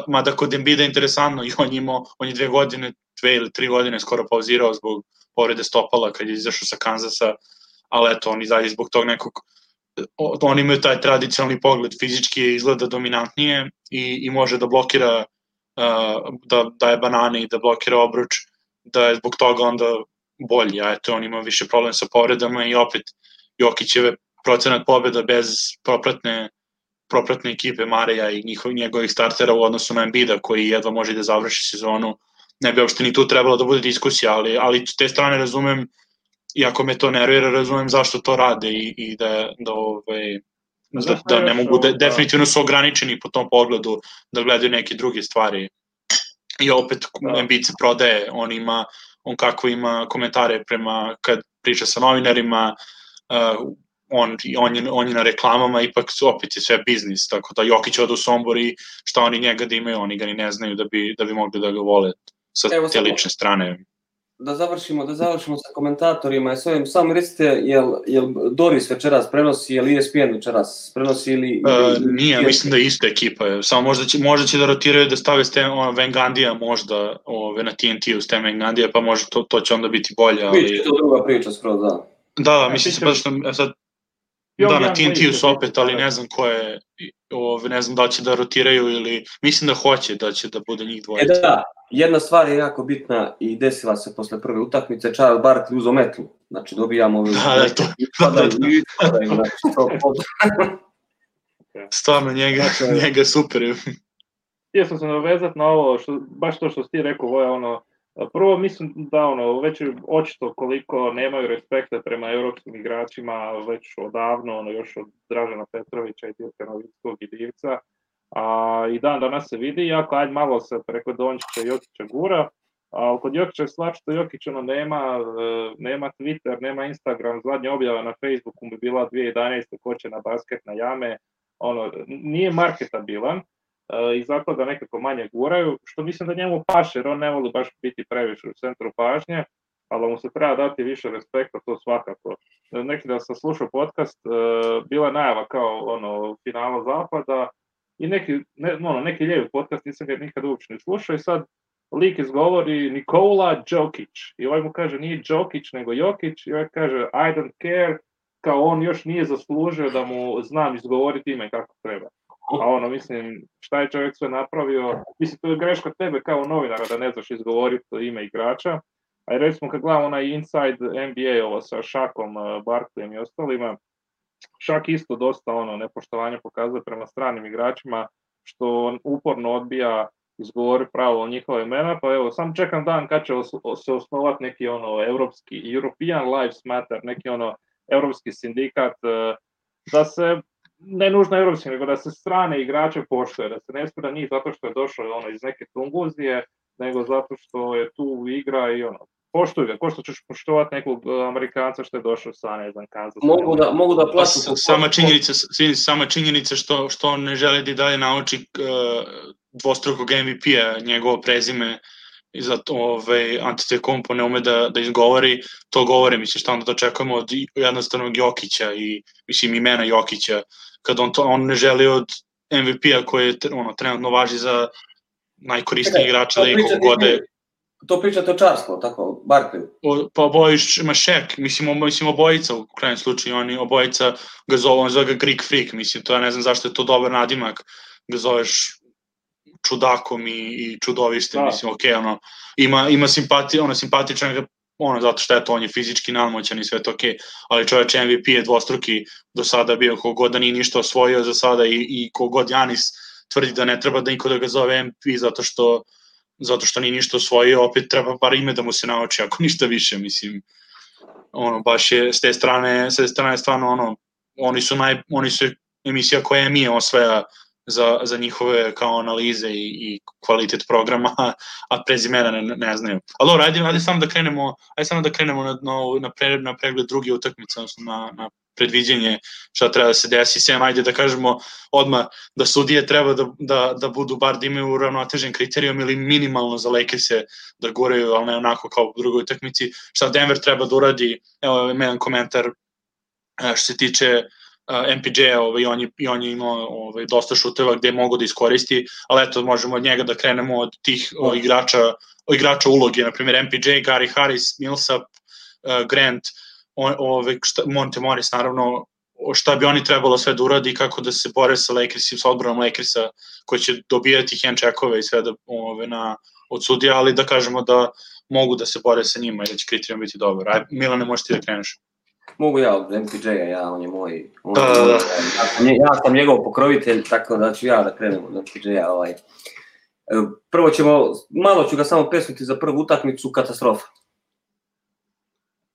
mada kod Embida je interesantno, i on je 2 ili 3 godine skoro pauzirao zbog povrede stopala kad je izašao sa Kanzasa, ali eto, on izađe zbog tog nekog, oni imaju taj tradicionalni pogled, fizički izgleda dominantnije i može da blokira, da daje banane i da blokira obruč, da je zbog toga onda bolji, a eto, on ima više problem sa povredama i opet Jokićeve procenat pobjeda bez propratne ekipe Mareja i njegovih startera u odnosu na Embida koji jedva može da završi sezonu, ne bi uopšte ni tu trebalo da bude diskusija, ali s te strane razumem, iako me to nervira, razumem zašto to rade i da ne mogu, definitivno su ograničeni po tom pogledu da gledaju neke druge stvari. I opet Embiid se prodaje, on kako ima komentare kad priča sa novinarima, on je na reklamama, ipak opet je sve biznis, tako da Jokić ode u Sombor i šta oni njega da imaju, oni ga ni ne znaju da bi mogli da ga vole sa te lične strane. Da završimo sa komentatorima, samo recite, jel Doris večeras prenosi, jel ESPN večeras prenosi ili nije, mislim da je ista ekipa, samo možda će da rotiraju da stave Van Gandija možda na TNT-u Stan Van Gandija, pa možda to će onda biti bolje, ali... Biće to druga priča skroz, da. Da, mislim se pa što sad da, na TNT-u su opet, ali ne znam ko je, ne znam da će da rotiraju ili, mislim da hoće da će da bude njih dvojica. Da, jedna stvar je jako bitna i desila se posle prve utakmice, Charles Barkley uzeo metlu, znači dobijamo stvarno njega super. Htio sam se navezati na ovo, baš to što si ti rekao, Voja, prvo mislim da već je očito koliko nemaju respekta prema europskim igračima već odavno, još od Dražena Petrovića i Dirka Novickog i Divca. I dan danas se vidi, iako ajde malo se preko Dončića i Jokića gura, a kod Jokića je stvar što Jokić nema Twitter, nema Instagram, zadnja objava na Facebooku bi bila 2011. ko će na basket na jame, nije marketabilan. I zato ga nekako manje guraju, što mislim da njemu paše, jer on ne voli baš biti previše u centru pažnje, ali mu se treba dati više respekta, to svakako. Neki da sam slušao podcast, bila najava kao finala zapada i neki lijevi podcast, nisam ga nikad uopće ne slušao i sad lik izgovori Nikola Jokić i ovaj mu kaže nije Jokić nego Jokić i ovaj kaže I don't care, kao on još nije zaslužio da mu znam izgovoriti ime kako treba. A mislim, šta je čovjek sve napravio, mislim, to je greška tebe kao novinara da ne znaš izgovoriti ime igrača, a recimo kad gledam onaj Inside NBA ovo sa Šakom, Barkleyem i ostalima, Šak isto dosta nepoštovanja pokazuje prema stranim igračima, što on uporno odbija izgovori pravo njihove imena, pa evo, sam čekam dan kad će se osnovati neki evropski, European Lives Matter, neki evropski sindikat, da se ne nužno evropski, nego da se strane igrače poštuje, da se ne spira njih zato što je došao iz neke Tunguzije, nego zato što je tu igra i poštuj ga, ko što ćeš poštovati nekog Amerikanca što je došao sa, ne znam, Kansas. Mogu da plaću. Sama činjenica što on ne želi da i dalje nauči dvostrukog MVP-a, njegovo prezime, i zato Antetokounmpo ne ume da izgovori, to govori, mislim, šta onda očekujemo od jednostavnog Jokića i, mislim, imena Jokića, kad on ne želi od MVP-a koji je trenutno važi za najkorisniji igrača da iko gode. To pričate o Charlesu, tako, Barkley? Pa obojiš, ima Shaq, mislim obojica u krajnjem slučaju, oni obojica ga zove, on zove ga Greek Freak, mislim, to ja ne znam zašto je to dobar nadimak, ga zoveš čudakom i čudovištem, mislim, okej, ima simpatije, simpatičan ga, zato što je to, on je fizički nadmoćan i sve to okej, ali čoveč MVP je dvostruki do sada bio, kogod da nije ništa osvojio za sada i kogod Janis tvrdi da ne treba da niko da ga zove MVP zato što nije ništa osvojio, opet treba bar ime da mu se nauči, ako ništa više, mislim, baš je s te strane stvarno, oni su emisija koja mi osvaja za njihove kao analize i kvalitet programa, a prezimena ne znaju. Ali ajde samo da krenemo na pregled druge utakmice, odnosno na predviđenje šta treba da se desi. Sem, ajde da kažemo odmah da sudije treba da budu bar da imaju uravnotežen kriterijum ili minimalno za Lakers-e da guraju, ali ne onako kao u drugoj utakmici. Šta Denver treba da uradi, evo jedan komentar što se tiče MPJ-a, i on je imao dosta šuteva gde mogu da iskoristi, ali eto, možemo od njega da krenemo od tih igrača uloge, na primjer MPJ, Gary Harris, Millsap, Grant, Monte Morris, naravno, šta bi oni trebalo sve da uradi, kako da se bore sa Lakersi, sa odbranom Lakersa, koji će dobijati hand-checkove i sve od sudija, ali da kažemo da mogu da se bore sa njima i da će kriterijum biti dobar. Milane, možeš ti da kreneš? Mogu ja od MPJ-a, on je moj. Ja sam njegov pokrovitelj, tako da ću ja da krenem od MPJ-a. Prvo malo ću ga samo presviti za prvu utakmicu, katastrofa.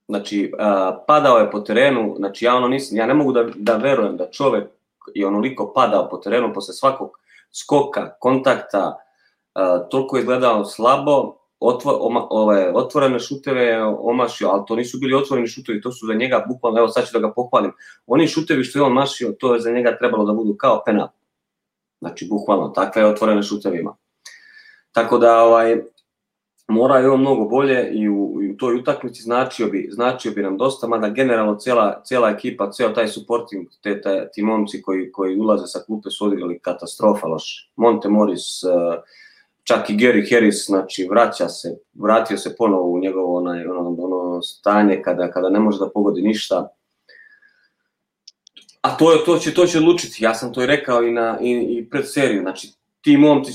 Znači, padao je po terenu, znači ja ne mogu da verujem da čovek je onoliko padao po terenu posle svakog skoka, kontakta, toliko je gledao slabo otvorene šuteve je omašio, ali to nisu bili otvoreni šutevi, to su za njega bukvalno, evo sad ću da ga pohvalim, oni šutevi što je on mašio, to je za njega trebalo da budu kao penal. Znači, bukvalno, takve otvorene šuteve ima. Tako da, mora je on mnogo bolje i u toj utakmici značio bi nam dosta, mada generalno cijela ekipa, ceo taj supporting, ti momci koji ulaze sa klupe su odigrali katastrofa loš. Monte Morris, čak i Gary Harris, znači vratio se ponovo u njegovo ono stanje kada ne može da pogodi ništa. A to će odlučiti, ja sam to i rekao i pred seriju, znači ti momci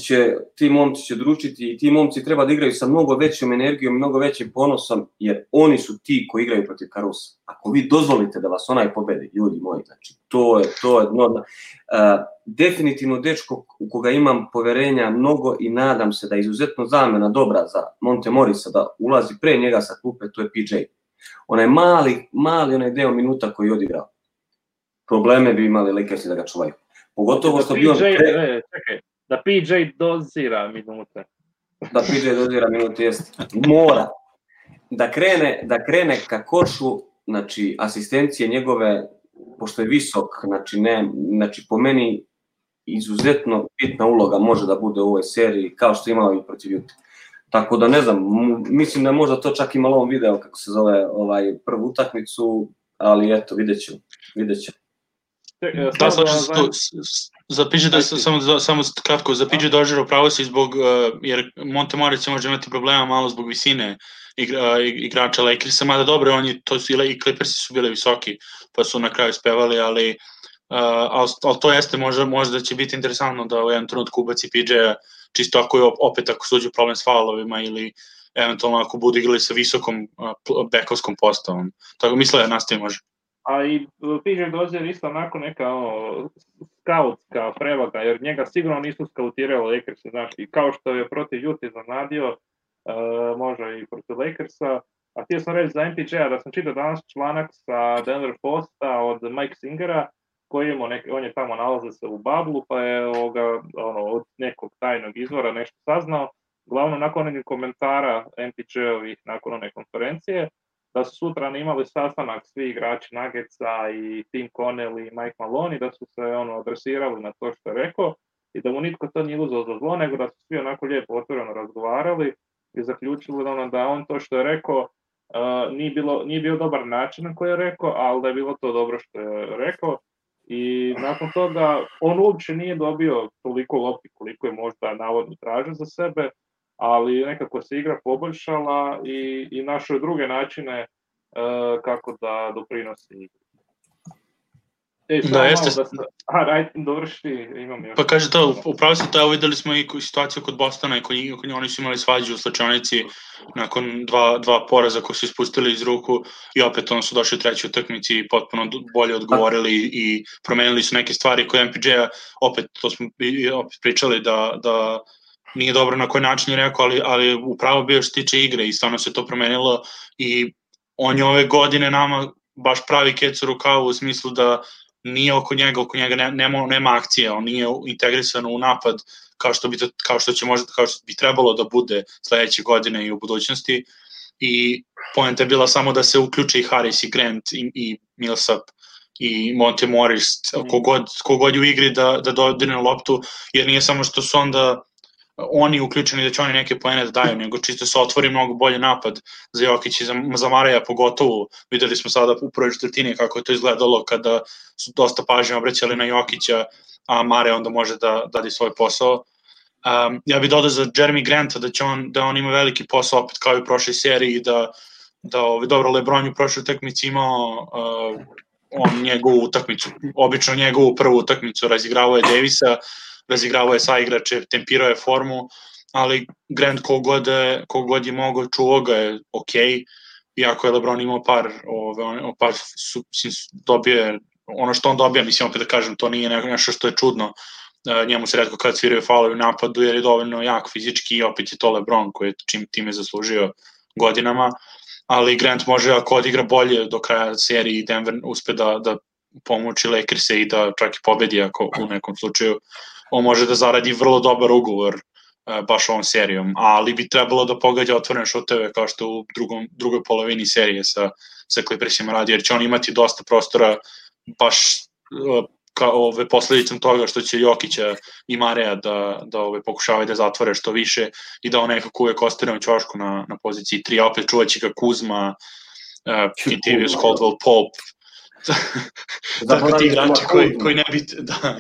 će dručiti i ti momci treba da igraju sa mnogo većom energijom, mnogo većim ponosom, jer oni su ti koji igraju protiv Carusa. Ako vi dozvolite da vas onaj pobedi, ljudi moji, znači to je definitivno dečko u koga imam poverenja mnogo i nadam se da je izuzetno zamena dobra za Monte Morrisa da ulazi pre njega sa klupe, to je PJ. Onaj mali onaj deo minuta koji je odigrao. Probleme bi imali Lakersi da ga čuvaju. Pogotovo što bi on... Čekaj, da PJ dozira minute. Da PJ dozira minute, jest. Mora. Da krene ka košu, znači asistencije njegove, pošto je visok, znači po meni izuzetno bitna uloga može da bude u ovoj seriji, kao što je imao i protiv Utah. Tako da ne znam, mislim da je možda to čak imalo on video, kako se zove, prvu utakmicu, ali eto, vidjet ćemo. Da, slažem se tu. Za PJ, samo kratko, za PJ Dozier upravo si jer Monte Morris može imati problema malo zbog visine igrača Lakersa, mada dobro, i Clippersi su bili visoki, pa su na kraju spevali, ali to jeste, možda će biti interesantno da u jednom trenutku ubaci PJ-a, čisto ako suđu problem s faulovima ili eventualno ako budu igrali sa visokom bekovskom postavom. Tako misle, nastavi može. A i PJ Dozier isto onako neka skautska prevaga, jer njega sigurno nisu skautirali Lakersi, znaš, i kao što je protiv Utah iznenadio, može i protiv Lakersa. A htio sam reći za MPJ-a da sam čitao danas članak sa Denver Posta od Mike Singera, koji on je tamo nalaze se u bablu, pa je od nekog tajnog izvora nešto saznao. Glavno, nakon onih komentara MPJ-ovih nakon one konferencije, da su sutra imali sastanak svi igrači Nuggetsa i Tim Connell i Mike Malone, da su se adresirali na to što je rekao i da mu nitko to nije uzeo za zlo, nego da su svi onako lijepo otvoreno razgovarali i zaključili da on to što je rekao nije bio dobar način na koji je rekao, ali da je bilo to dobro što je rekao. I nakon toga on uopće nije dobio toliko lopti koliko je možda navodno tražio za sebe, ali nekako se igra poboljšala i našao druge načine kako da doprinosi igri. Da, jeste. Dovrši, imam još. Pa kaže to, upravo se to, videli smo i situaciju kod Bostona i oni su imali svađu u slačionici nakon dva poraza koji su ispustili iz ruku i opet ono su došli u trećoj utakmici i potpuno bolje odgovorili i promenili su neke stvari koje MPJ-a, opet to smo opet pričali da nije dobro na koji način je rekao, ali upravo bio što tiče igre i stvarno se to promenilo i on je ove godine nama baš pravi kec u rukavu u smislu da nije oko njega nema akcije, on nije integrisan u napad kao što bi trebalo da bude sledeće godine i u budućnosti i poenta je bila samo da se uključe i Harris i Grant i Millsap i Monte Morris, kogod je u igri da dodirne loptu, jer nije samo što su onda oni uključeni da će oni neke poene da daju, nego čisto se otvori mnogo bolje napad za Jokić i za Mareja pogotovo. Videli smo sada u prvoj četvrtini kako je to izgledalo kada su dosta pažnje obraćali na Jokića, a Mare onda može da radi svoj posao. Ja bih dodao za Jeremy Granta da on ima veliki posao opet kao i u prošloj seriji, da dobro, LeBron u prošloj utakmici imao njegovu utakmicu, obično njegovu prvu utakmicu, razigravao je Davisa, razigravao je sa igrače, tempirao je formu, ali Grant kogod je mogao, čuvao ga je okej, iako je LeBron imao par dobije, ono što on dobija, mislim opet da kažem, to nije nešto što je čudno, njemu se retko kad sviraju faulovi u napadu jer je dovoljno jak fizički i opet je to LeBron koji je time zaslužio godinama, ali Grant može ako odigra bolje do kraja serije i Denver uspe da pomoći Lakerse i da čak i pobedi ako u nekom slučaju, on može da zaradi vrlo dobar ugovor baš ovom serijom, ali bi trebalo da pogađa otvorene šuteve kao što u drugoj polovini serije sa Clippersima radi, jer će on imati dosta prostora baš kao posledicom toga što će Jokića i Mareja da pokušavaju da zatvore što više i da on nekako uvek ostane u ćošku na poziciji 3, a opet čuvaće ga Kuzma, Kentavious Caldwell-Pope, tako ti igrači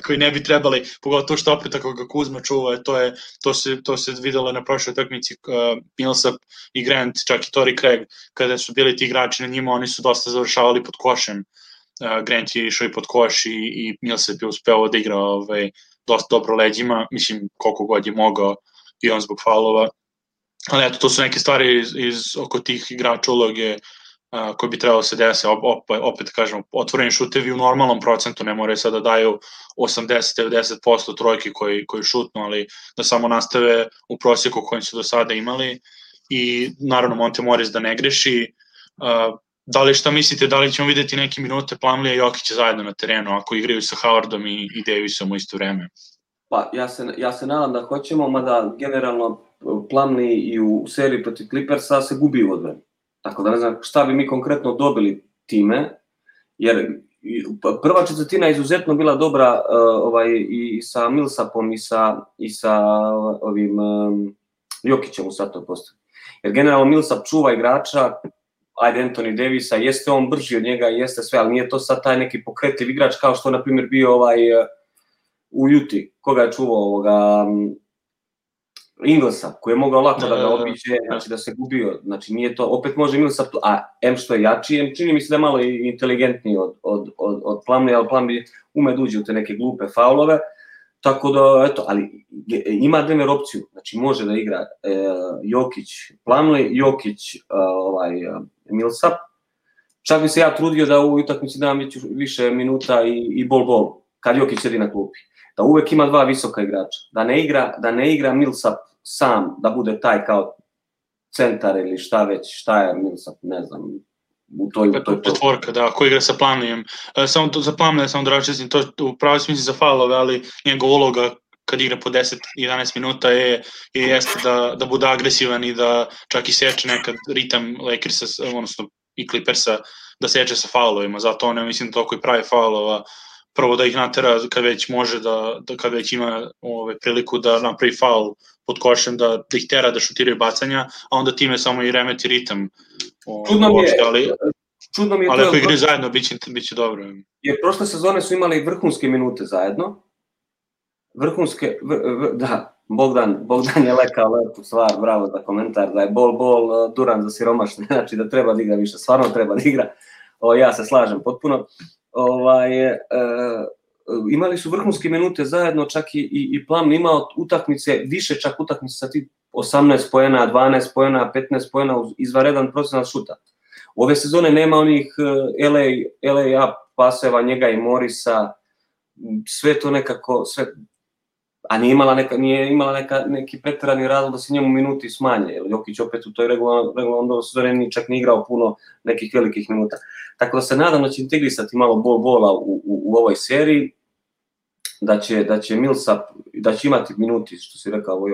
koji ne bi trebali, pogotovo što opet ako ga Kuzma čuva, to se videlo na prošloj utakmici, Millsap i Grant, čak i Torrey Craig, kada su bili ti igrači na njima, oni su dosta završavali pod košem. Grant je išao i pod koš i Millsap je uspeo da igra dosta dobro leđima, mislim koliko god je mogao i on zbog faulova, ali eto, to su neke stvari iz oko tih igrača uloge koji bi trebalo se desi, opet kažemo, otvoreni šutevi u normalnom procentu, ne moraju sada daju 80-90% trojki koji šutnu, ali da samo nastave u prosjeku kojim su do sada imali i naravno Monte Morris da ne greši. Da li šta mislite, da li ćemo videti neke minute Plumleya i Jokića zajedno na terenu ako igraju sa Howardom i Davisom u isto vreme? Pa ja se nadam da hoćemo, mada generalno Plumlee i u seriji protiv Clippersa se gubi u odbrani. Tako da ne znam šta bi mi konkretno dobili time, jer prva četvrtina je izuzetno bila dobra i sa Millsapom i sa ovim Jokićem u svatom postavi. Jer generalno Millsap čuva igrača, ajde Anthony Davisa, jeste on brži od njega, jeste sve, ali nije to sad taj neki pokretljiv igrač kao što na primjer bio u Uti, koga je čuvao Inglesa, koji je mogao lako da ga obiđe, znači da se gubio, znači nije to, opet može Millsap, a M što je jači, M čini mi se da je malo inteligentniji od Plumleya, ali Plumlee ume da uđe u te neke glupe faulove, tako da, eto, ali ima Denver opciju, znači može da igra Jokić, Plumlee, Jokić, Millsap, čak bi se ja trudio da u utakmici dam više minuta i bol, kad Jokić sedi na klupi. Da uvek ima dva visoka igrača, da ne igra Millsap sam, da bude taj kao centar ili šta je Millsap, ne znam, u toj četvorka, da, ko igra sa Plumlejem. Samo za Plumleja, samo da račestim, to u pravi smisli za faulove, ali njegov uloga kad igra po 10-11 minuta jeste da bude agresivan i da čak i seče nekad ritam Lakersa, odnosno i Clippersa, da seče sa faulovima, zato on, mislim, toliko i pravi faulova, prvo da ih natera kad već može kad već ima priliku da napravi faul pod košem, da ih tera da šutiraju bacanja, a onda time samo i remeti ritam. Čudno mi je ali ako igraju zajedno, bit će dobro. Jer prošle sezone su imali vrhunske minute zajedno. Da, Bogdan je lekao lepu stvar, bravo za komentar, da je bol, Duran za siromašne, znači da treba da igra više, stvarno treba da igra, ja se slažem potpuno. Imali su vrhunske minute zajedno, čak i Plumlee imao utakmice, više čak utakmice sa ti 18 poena, 12 poena, 15 poena uz izvanredan procenat šuta. Ove sezone nema onih LA up paseva, njega i Morisa, sve to nekako, a nije imala neki preterani razlog da se njemu minuti smanje, jer Jokić opet u toj regularnoj sezoni nije čak ni igrao puno nekih velikih minuta. Tako da se nadam da će integrisati malo bola u ovoj seriji, da će Millsap, da će imati minuti, što si rekao,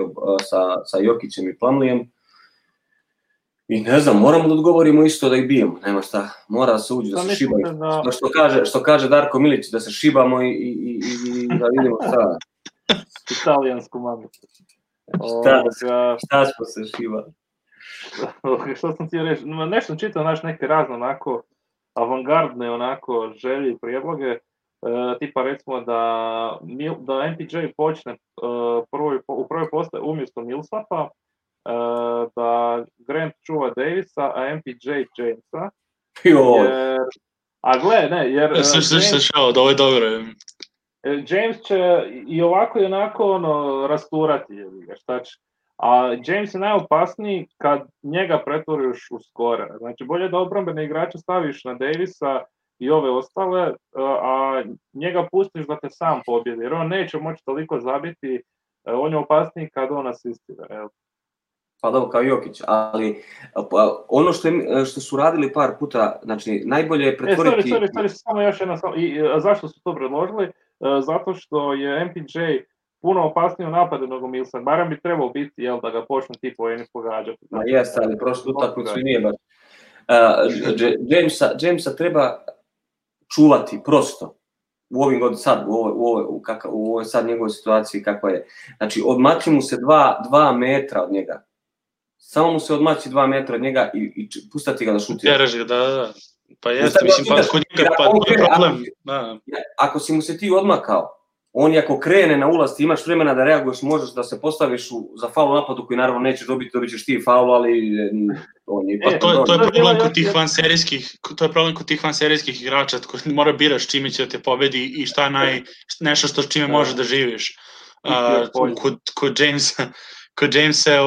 sa Jokićem i Plumlejem. I ne znam, moramo da odgovorimo isto da ih bijemo, nema šta, mora da se uđe, da se šibaju. Što kaže Darko Milić, da se šibamo i da vidimo šta. Italijansku mamicu. Šta smo se šibali? Što sam ti reći, nešto čitao, neke razne onako avangardne onako želje i prijedloge, tipa recimo da MPJ počne u prvoj postavi umjesto Millsapa, da Grant čuva Davisa, a MPJ Jamesa. A gle, ne, jer... Ovo je dobro. James će i ovako i onako rasturati, šta će. A James je najopasniji kad njega pretvoriš u skora. Znači, bolje da obrambene igrače staviš na Davisa i ove ostale, a njega pustiš da te sam pobjedi, jer on neće moći toliko zabiti, on je opasniji kad on asistira. Pa dobro, kao Jokić, ali ono što su radili par puta, znači, najbolje je pretvoriti... Samo još jedna stvar, i zašto su to predložili? Zato što je MPJ puno opasniji u napadu nego Millsap. Barem bi trebao biti, da ga počnu ti poeni pogađati. Ma jeste, ali prošlu utakmicu i nije baš. Jamesa treba čuvati prosto u ovim godinama sad, u ovoj sad njegovoj situaciji kakva je. Znači, odmači mu se 2 metra od njega. Samo mu se odmači 2 metra od njega i pustati ga da šutira. Teraš ga, da. Pa jeste, mislim, pa kod njega to je problem. Ako si mu se ti odmakao, on ako krene na ulaz, ti imaš vremena da reaguješ, možeš da se postaviš za faul napadu koji naravno nećeš dobiti, dobit ćeš ti faul, ali on je... Pa to je problem kod tih vanserijskih igrača, koji mora biraš čime će da te pobedi i šta nešto što s čime možeš da živiš. Kod Jamesa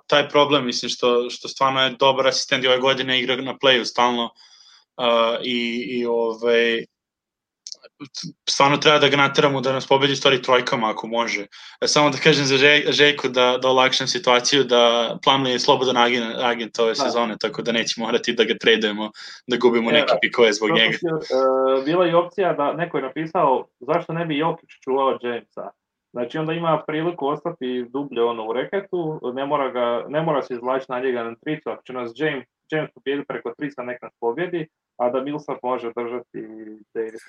taj problem, mislim, što stvarno je dobar asistent i ove godine igra na playu stalno i stvarno treba da ga nateramo da nas pobedi stvari trojkama ako može. Samo da kažem za Željku da olakšam situaciju, da Plumlee je slobodan agent ove sezone, tako da neće morati da ga tradujemo, da gubimo neke pikove zbog njega. Bila je opcija da neko je napisao zašto ne bi Jokić čuvao Jamesa. Znači onda ima priliku ostati dublje u reketu, ne mora se izvlačiti na njega na tricu, ako će nas James pobjedi preko trica, nek nas pobjedi, a da Millsap može držati Davis.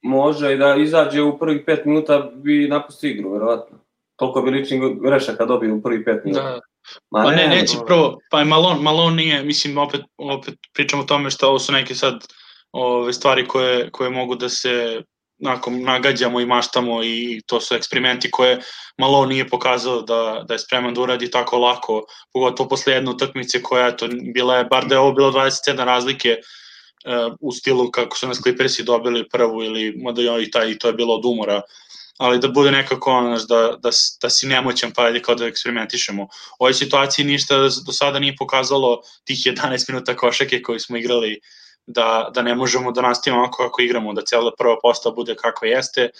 Može i da izađe u prvih 5 minuta bi napustio igru, verovatno. Toliko bi ličnih grešaka dobio u prvih 5 minuta. Da. Pa neće prvo, pa Malone nije, mislim, opet pričamo o tome što ovo su neke sad stvari koje mogu da se nagađamo i maštamo i to su eksperimenti koje Malone nije pokazao da je spreman da uradi tako lako, pogotovo posle jedne utakmice koja je bar da je ovo bilo 27 razlike u stilu kako su nas Clippersi dobili prvu ili i to je bilo od umora, ali da bude nekako da si nemoćan pa ajde kao da eksperimentišemo. U ovoj situaciji ništa do sada nije pokazalo tih 11 minuta košake koji smo igrali da ne možemo da nastavimo ovako kako igramo, da cijela prva postava bude kakva jeste,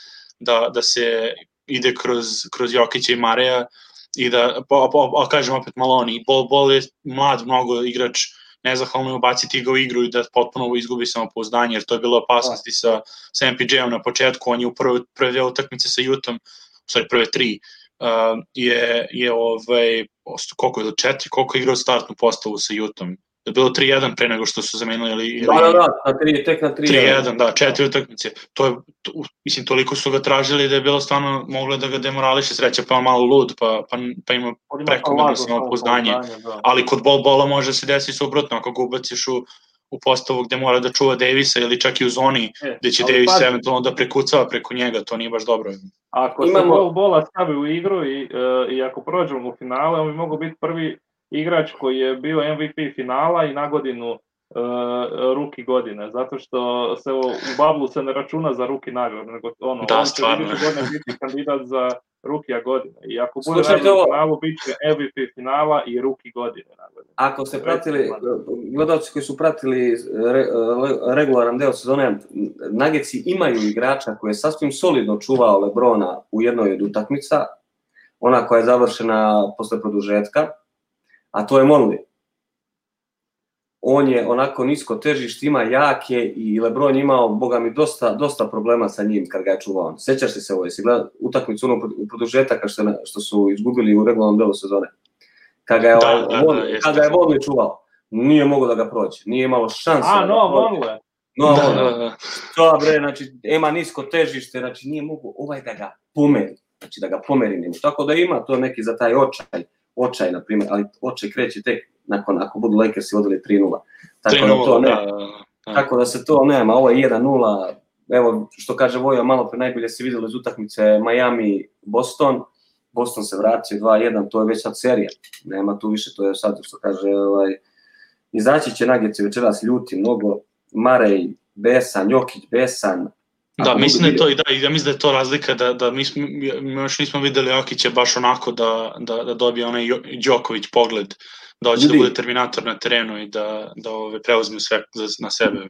da se ide kroz Jokića i Mareja i da, kažem opet Malone, Bol je mlad mnogo igrač, nezahvalno je ubaciti ga u igru i da potpuno izgubi samopouzdanje, jer to je bilo opasnosti sa MPJ-om na početku, on je u prve 2 utakmice sa Utahom, prve 3, koliko je do 4, koliko je igrao startnu postavu sa Utahom. Je bilo 3-1 pre nego što su zamenili tek na 3-1, da, 4 utakmice. Mislim, toliko su ga tražili da je bilo stvarno moglo da ga demorališe, sreća pa malo lud, pa ima prekomerno samopouzdanje. Ali kod Bola može se desiti suprotno, ako ga ubaciš u postavu gde mora da čuva Davisa ili čak i u zoni gde će Davis eventualno da prekucava preko njega, to nije baš dobro. Ako se Bola stavi u igru i ako prođemo u finale, on bi mogu biti prvi igrač koji je bio MVP finala i na godinu ruki godine, zato što se u Bablu se ne računa za ruki nagradu, nego on će biti kandidat za rukija godine. I ako bude nagradu finalu, bit će MVP finala i ruki godine nagradu. Ako ste pratili, gledalci koji su pratili regularan deo sezone, Nuggetsi imaju igrača koji je sasvim solidno čuvao LeBrona u jednoj od utakmica, ona koja je završena posle produžetka, a to je Monley. On je onako nisko težište, ima jake i LeBron imao, boga mi, dosta problema sa njim kad ga je čuvao. Sećaš se ovo, jesi gledao utakmicu u produžetaka što su izgubili u regularnom delu sezone? Kad ga je Monley čuvao, nije mogao da ga prođe, nije imalo šanse. Monley. To bre, znači, ima nisko težište, znači nije mogao da ga pomeri, znači da ga pomeri njemu. Tako da ima to neki za taj očaj, na primjer, ali očaj kreće tek ako budu Lakersi vodili 3-0. Tako da se to nema, ovo je 1-0, evo što kaže Vojo, malo pre najbolje se vidjelo iz utakmice Miami-Boston, Boston se vratio 2-1, to je već sad serija, nema tu više, to je sad što kaže, izaći će Nuggetsi večeras ljuti mnogo, Marej, besan, Jokić, besan. Da, mislim da je to, ja mislim da je to razlika, da mi još nismo videli Jokića baš onako da dobije onaj Đoković pogled, da hoće da bude terminator na terenu i da preuzme sve na sebe.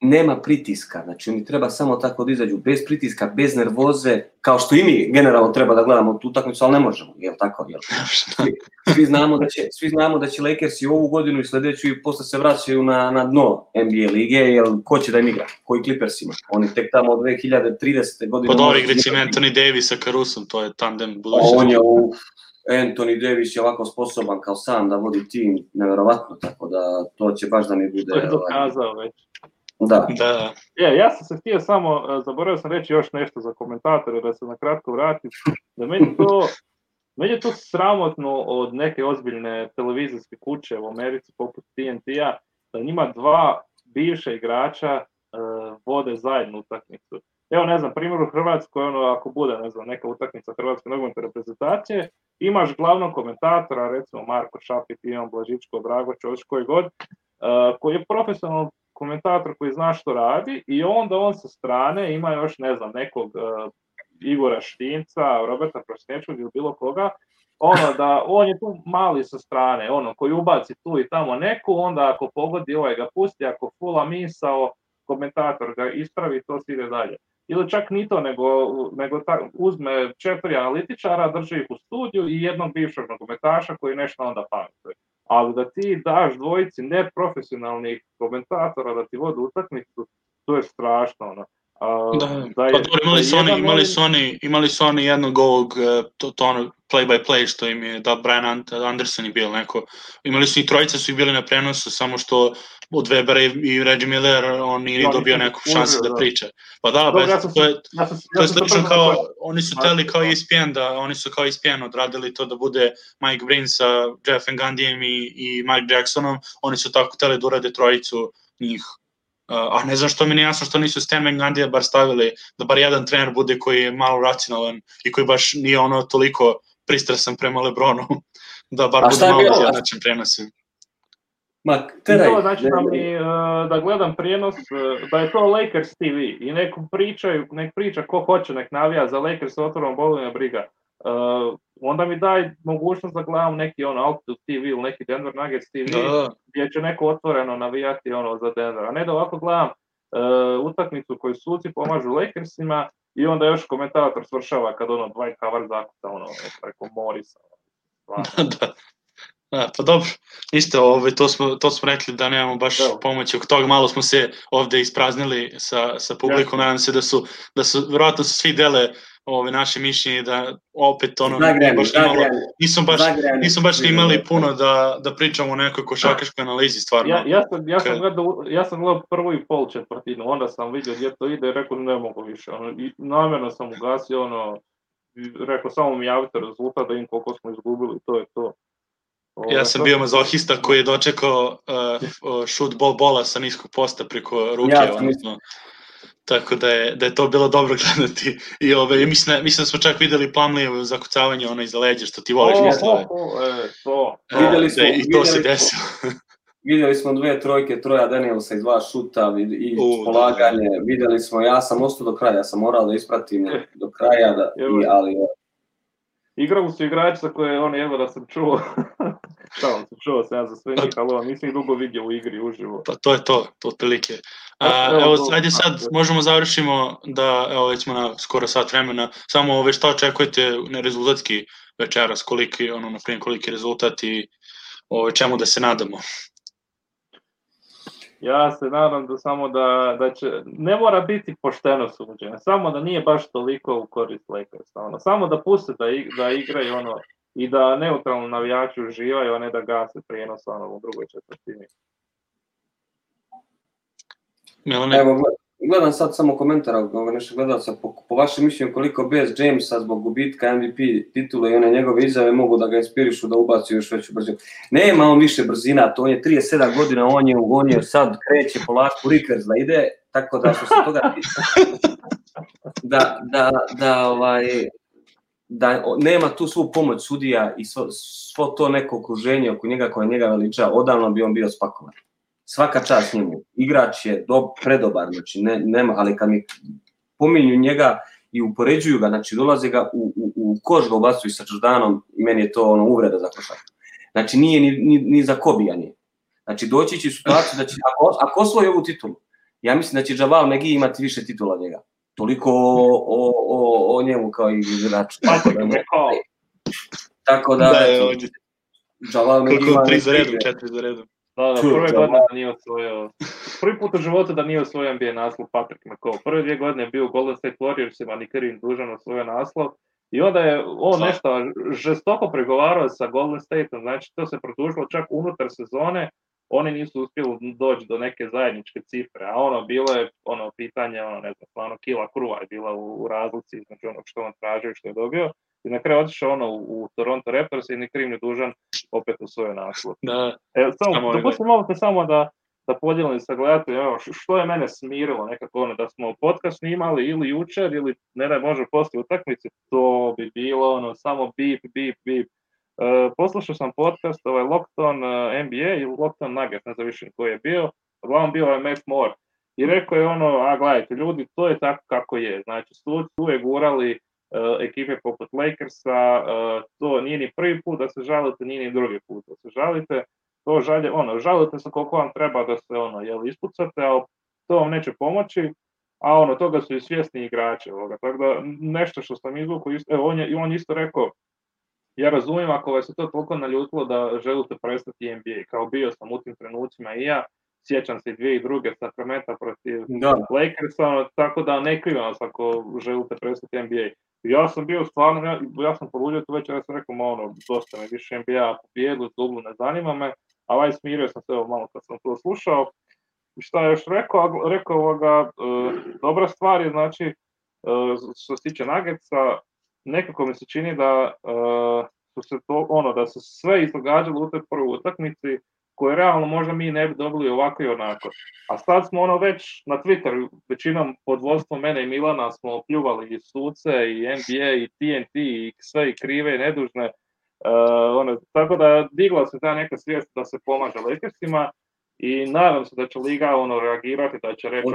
nema pritiska, znači oni treba samo tako da izađu, bez pritiska, bez nervoze, kao što i mi generalno treba da gledamo tu utakmicu, ali ne možemo, jel tako? Jel? Svi znamo da će Lakersi ovu godinu i sledeću i posle se vraćaju na dno NBA lige, jel ko će da im igra? Koji Clippersima? Oni tek tamo od 2030. godine... Pod ovih recimo Anthony Davis sa Carusom, to je tandem budućnosti. On je Anthony Davis je ovako sposoban kao sam da vodi tim, neverovatno, tako da to će baš da mi bude... To je dokazao već. Da. Ja sam se htio samo, zaboravio sam reći još nešto za komentatore, da se na kratko vratim, da meni je to sramotno od neke ozbiljne televizijske kuće u Americi poput TNT-a, da njima dva bivša igrača vode zajednu utakmicu. Evo, ne znam, primjer u Hrvatskoj, ako bude, ne znam, neka utakmica Hrvatske nogometne reprezentacije, imaš glavnog komentatora, recimo Marko Šapit, Ivan Blažičko, Drago Čović, koji god, koji je profesionalno komentator koji zna što radi i onda on sa strane ima još, ne znam, nekog Igora Štinca, Roberta Prosnječkog ili bilo koga, da on je tu mali sa strane, koji ubaci tu i tamo neku, onda ako pogodi ga pusti, ako fula misao, komentator ga ispravi, to se ide dalje. Ili čak ni to, nego uzme 4 analitičara, drži ih u studiju i jednog bivšeg nogometaša koji nešto onda pametuje. Ali da ti daš dvojici neprofesionalnih komentatora da ti vode utakmicu, to je strašno. Imali su oni jednog ovog play-by-play što im je da Brian Anderson je bio neko. Imali su i trojice su i bili na prenosu, samo što od Webera i Reggie Miller on nije dobio neku šansu da priča. Pa da, to je slično kao, oni su teli kao ESPN, oni su kao ESPN odradili to da bude Mike Breen sa Jeff Van Gundyjem i Mike Jacksonom, oni su tako teli da urade trojicu njih. A ne znam što mi nije jasno što nisu Stan Van Gundyja bar stavili, da bar jedan trener bude koji je malo racionalan i koji baš nije toliko pristrasan prema LeBronu, da bar bude malo jednačan prenos. To znači da gledam prijenos, da je to Lakers TV i nek priča ko hoće, nek navija za Lakers, otvorom bolina briga. Onda mi daj mogućnost da gledam neki Altitude TV ili neki Denver Nuggets TV gdje će neko otvoreno navijati za Denver, a ne da ovako gledam utakmicu koju suci pomažu Lakersima i onda još komentator svršava kad Dwight Howard zakuca preko Morisa. Pa dobro, isto to smo rekli da nemamo baš pomoći oko toga, malo smo se ovde ispraznili sa publikom, nadam se da su verovatno svi dele naše mišljenje da opet nismo baš imali puno da pričamo o nekoj košarkaškoj analizi stvarno. Ja sam gledao prvu i pol četvrtinu, onda sam vidio gdje to ide i rekao ne mogu više. I namjerno sam ugasio rekao samo mi javite rezultat da im koliko smo izgubili, to je to. Ja sam bio mazohista koji je dočekao šut bola sa niskog posta preko ruke, tako da je to bilo dobro gledati. I mislim da smo čak videli Plumlee zakucavanje iza leđa, što ti voliš mislove. I to se desilo. Vidjeli smo 2 trojke, Troja Danielsa i 2 šuta i polaganje. Vidjeli smo, ja sam ostao do kraja, ja sam morao da ispratim do kraja, ali... Igrali su igrači za koje evo da sam čuo. Čuo sam ja za sve njih, ali nisam ih dugo vidio u igri uživo. Pa to je to otprilike. Ajde sad možemo završimo da, evo već smo na skoro sat vremena, samo šta očekujete rezultatski večeras, koliki rezultat i čemu da se nadamo? Ja se nadam da samo da će, ne mora biti pošteno suđenje, samo da nije baš toliko u korist Lakersa, samo da puste da igraju i da neutralno navijači uživaju, a ne da gase prijenos u drugoj četvrtini. Evo, gledam sad samo komentar nešto gledalca, po vašem mišljenju koliko bez Jamesa zbog gubitka MVP titule i one njegove izjave mogu da ga inspirišu da ubaci još veću brzinu. Nema on više brzina, to on je 37 godina, on je sad kreće polako Rikers da ide, tako da što se toga da nema tu svu pomoć sudija i svo to neko okruženje oko njega koje njega veliča, odavno bi on bio spakovan. Svaka čast njemu. Igrač je predobar, znači nema, ali kad mi pominju njega i upoređuju ga, znači dolaze ga u koš ga ubacuju sa Jordanom i meni je to uvreda za košarku. Znači nije ni za Kobija nije. Znači doći će u situaciju da će, ako osvoji ovu titulu, Ja mislim da će Javal McGee imati više titula od njega. Toliko o njemu kao i igraču. Tako da Javal McGee ima 3 za redom, 4 za redom. Da, prve godine da nije osvojio, prvi put u životu da nije osvojio NBA naslov Patrick McCaw. Prve 2 godine je bio u Golden State Warriorsima, ni Kareem dužan osvojio naslov. I onda je on nešto žestoko pregovarao sa Golden Stateom, znači to se produžilo čak unutar sezone, oni nisu uspjeli doći do neke zajedničke cifre, a bilo je pitanje, ne znam, stvarno kila kruva je bila u razlici između onog što on tražio i što je dobio. I na kraju otišao u Toronto Raptors i ni kriv ni dužan opet u svoj naslov. Dopustim ovo samo da podijelim sa gledateljima, što je mene smirilo nekako da smo podcast snimali ili jučer ili ne daj Bože poslije utakmice, to bi bilo samo bip. Poslušao sam podcast Locked on NBA ili Locked on Nuggets, ne znam više koji je bio, uglavnom bio je Matt Moore i rekao je gledajte ljudi, to je tako kako je, znači tu je gurali ekipe poput Lakersa, to nije ni prvi put da se žalite, nije ni drugi put da se žalite, to žalite se koliko vam treba da se ispucate, ali to vam neće pomoći, a toga su i svjesni igrači tako da nešto što sam izvukao, on isto rekao, ja razumijem ako vas je to toliko naljutilo da želite prestati NBA, kao bio sam u tim trenucima i ja, sjećam se i 2002. Sacramento protiv Lakersa, tako da ne krivim vas ako želite prestati NBA. Ja sam bio stvarno, ja sam poludio tu večer, ja sam rekao, dosta me više NBA pobjedu, dublu ne zanima me, a smirio sam se malo kad sam to slušao. Šta je još rekao dobra stvar je, znači, što se tiče Nuggetsa, nekako mi se čini da da se sve izdogađalo u toj prvoj utakmici, koje realno možda mi ne bi dobili ovako i onako. A sad smo već na Twitteru, većinom pod vodstvom mene i Milana smo pljuvali i suce, i NBA, i TNT, i sve i krive i nedužne. Tako da digla se ta neka svijest da se pomaže Lakersima i nadam se da će Liga reagirati, da će reći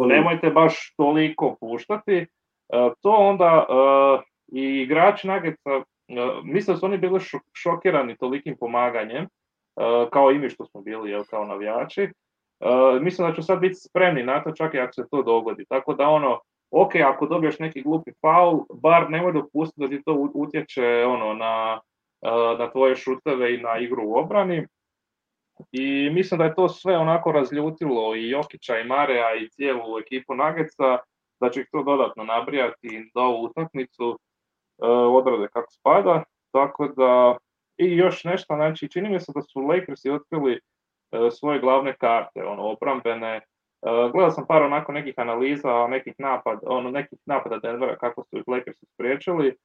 nemojte baš toliko puštati. To onda i igrači Nuggetsa, mislim da su oni bili šokirani tolikim pomaganjem, kao i mi što smo bili, kao navijači. Mislim da ću sad biti spremni na to, čak i ako se to dogodi. Tako da ok, ako dobiješ neki glupi faul, bar nemoj dopustiti da ti to utječe na tvoje šuteve i na igru u obrani. I mislim da je to sve onako razljutilo i Jokića i Marea i cijelu ekipu Nuggetsa, da će ih to dodatno nabrijati da ovu utakmicu odrade kako spada. Tako da, i još nešto, znači čini mi se da su Lakersi otkrili svoje glavne karte, obrambene. Gledao sam par onako nekih analiza, nekih napada Denvera, kako su ih Lakersi spriječili,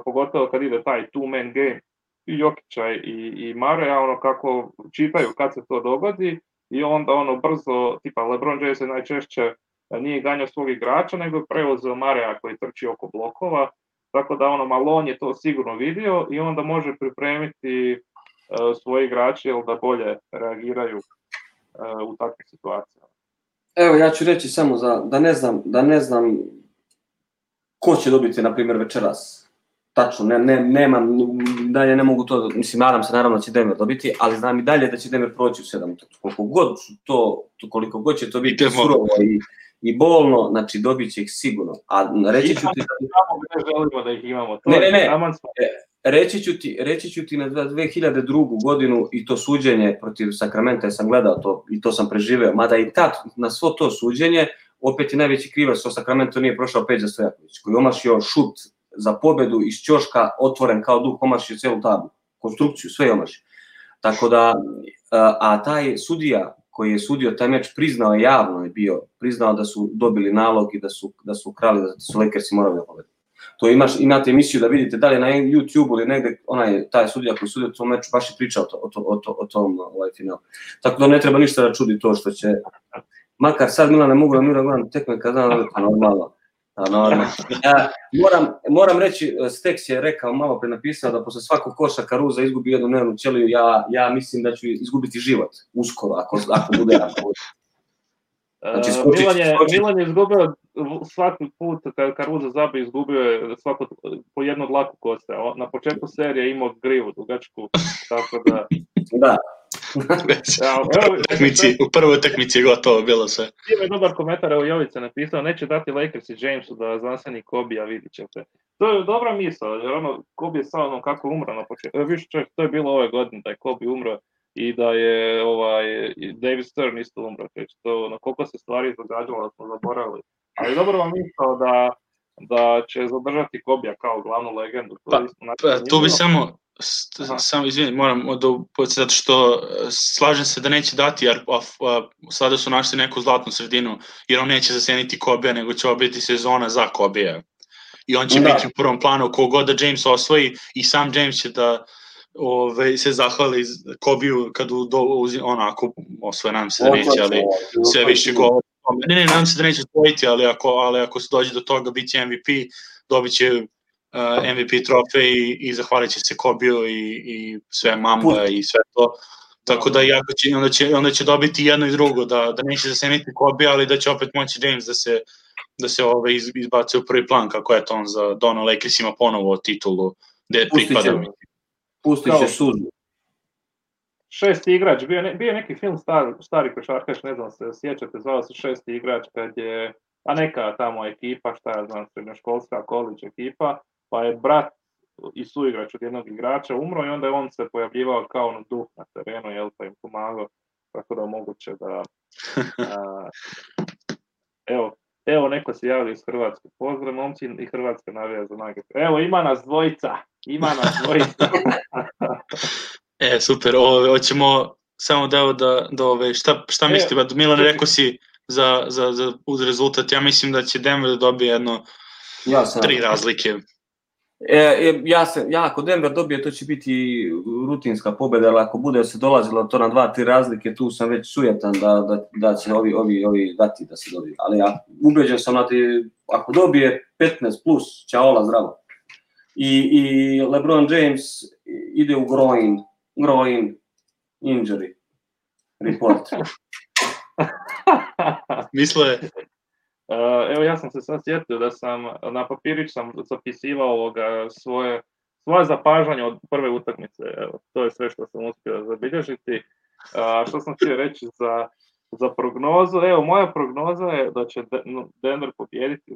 pogotovo kad ide taj two-man game i Jokića i Marea, kako čitaju kad se to dogodi i onda brzo, tipa LeBron James je najčešće nije ganjao svog igrača, nego je preuzeo Marea koji trči oko blokova, tako da Malone je to sigurno vidio i onda može pripremiti svoje igrače da bolje reagiraju u takvim situacijama. Evo, ja ću reći samo da ne znam ko će dobiti, na primjer, večeras. Tačno, nemam, dalje ne mogu to, mislim, nadam se naravno da će Denver dobiti, ali znam i dalje da će Denver proći u 7. Koliko god će to biti surovo i bolno, znači dobit će ih sigurno. A reći ću ti... želimo da ih imamo. Reći ću ti na 2002. godinu i to suđenje protiv Sacramento, sam gledao to i to sam preživeo, mada i tad na svo to suđenje, opet je najveći krivac što Sacramento nije prošao Peđa Stojaković, koji omašio šut za pobedu iz ćoška, otvoren kao duh, omašio celu tablu, konstrukciju, sve je omašio. Tako da, a taj sudija koji je sudio taj meč priznao je javno, priznao da su dobili nalog i da su krali, da su Lakersi morali da pobede. To imate emisiju da vidite da li na YouTube ili negde, taj sudija koji sudio tom meču baš je pričao o tom finalu. Tako da ne treba ništa da čudi to što će, makar sad Milan ne mogu da gledam tekme kad znam da je normalno. Moram reći, Steks je rekao, malo pre napisao da posle svakog koša Caruso izgubi jednu nervnu ćeliju, ja mislim da ću izgubiti život uskoro, ako bude. Milan je izgubio svaki put kad Caruso zabije, izgubio je svako po jednu dlaku koste. Na početku serije imao grivu dugačku, tako da... Da. U prvoj utakmici je gotovo bilo sve. Ima je dobar komentar, evo Jovica napisao, neće dati Lakers i Jamesu da zaseni Kobe, a vidit ćete. To je dobra misla, jer Kobe je samo kako umro na početku. Više čovjek, to je bilo ove godine da je Kobe umro i da je David Stern isto umro. To, na koliko se stvari događalo da smo zaboravili. Ali dobro vam misao da će zadržati Kobija kao glavnu legendu. Tu bi samo izvini, moram zato što slažem se da neće dati, jer sada su našli neku zlatnu sredinu, jer on neće zaseniti Kobija, nego će biti sezona za Kobija. I on će biti u prvom planu, kogod da James osvoji, i sam James će da se zahvali Kobiju kad ako osvoje, nadam se da neće, ali sve više govori. Ne, nadam se da neće osvojiti, ali ako se dođe do toga, bit će MVP, dobit će MVP trofej i zahvalit će se Kobiju i sve Mamba i sve to. Tako da onda će dobiti jedno i drugo, da neće zaseniti Kobija, ali da će opet moći James da se izbaci u prvi plan, kako je to on za Dono Lakersima ponovo titulu gde pripada. Pustit će suzu. Šesti igrač, bio je neki film stari košarkaš, ne znam se sjećate, zvao se Šesti igrač, kad je neka tamo ekipa, šta ja znam, srednjoškolska college ekipa, pa je brat i suigrač od jednog igrača umro i onda je on se pojavljivao kao duh na terenu, jel, pa im pomagao, tako da moguće da... Evo, neko se javlja iz Hrvatske. Pozdrav, momci, i Hrvatska navija za Nuggets. Evo, ima nas dvojica. Super, hoćemo samo šta mislite, Milan, rekao si uz rezultat, ja mislim da će Denver da dobije jedno 3 razlike. Ako Denver dobije, to će biti rutinska pobjeda, ali ako bude se dolazilo to na 2-3 razlike, tu sam već sujetan da će ovi dati da se dobije. Ali ja ubeđen sam ako dobije 15 plus, ćaola zdravo. I LeBron James ide u groin injury report. Misle... Evo, ja sam se sad sjetio da sam na papirić sam zapisivao svoje zapažanje od prve utakmice. Evo, to je sve što sam uspio zabilježiti. Što sam htio reći za prognozu? Evo, moja prognoza je da će Denver pobijediti.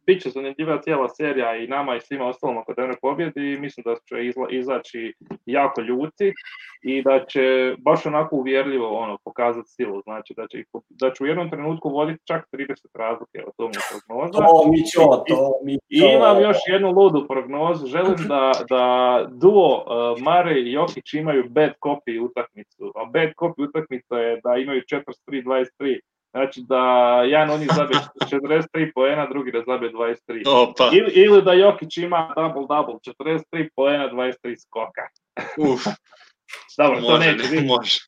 Bit će zanimljiva cijela serija i nama i svima ostalom ako Denver pobjedi i mislim da će izaći jako ljuti i da će baš onako uvjerljivo pokazati silu. Znači da će u jednom trenutku voditi čak 30 razlike, o tom je prognoza. I imam još jednu ludu prognozu. Želim da duo Murray i Jokić imaju bad copy utakmicu. A bad copy utakmica je da imaju 43-23. Znači da jedan od njih zabije 43 poena, drugi da zabije 23. Ili da Jokić ima double-double, 43 poena, 23 skoka. Dobro, to neće biti.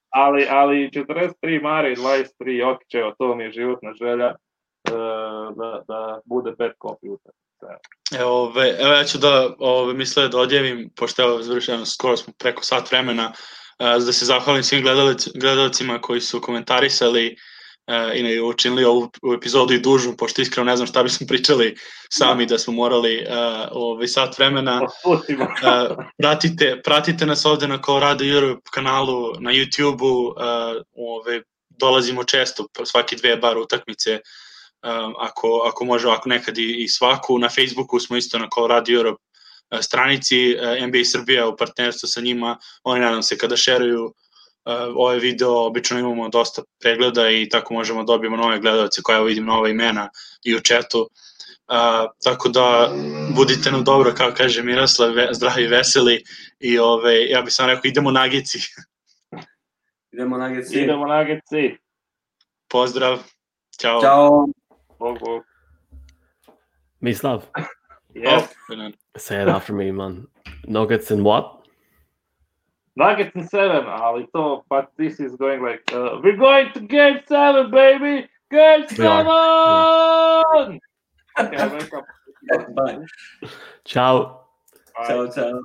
Ali 43 Murray, 23 Jokić, evo, to mi je životna želja da bude bad copy utakmica. Evo ja ću da odjavim, pošto skoro smo preko sat vremena, da se zahvalim svim gledalcima koji su komentarisali i učinili ovu epizodu i dužu, pošto iskreno ne znam šta bismo pričali sami da smo morali sat vremena. Pratite nas ovde na Colorado Europe kanalu, na YouTube-u, dolazimo često, svaki 2 bar utakmice, ako može, ako nekad i svaku. Na Facebooku smo isto na Colorado Europe stranici, NBA Srbija u partnerstvu sa njima, oni nadam se kada šeruju ovaj video, obično imamo dosta pregleda i tako možemo dobijemo nove gledalce koja vidim nova imena i u chatu, tako da budite nam dobro, kao kaže Miroslav, zdravi i veseli i ja bih sam rekao idemo Nuggetsi. Idemo Nuggetsi. Pozdrav, ćao. Bog. Mislav. Yes. Say it after me, man. Nuggets and what? Nuggets in 7, but this is going like, we're going to game 7, baby! Game 7! Okay, Bye. Ciao. Ciao.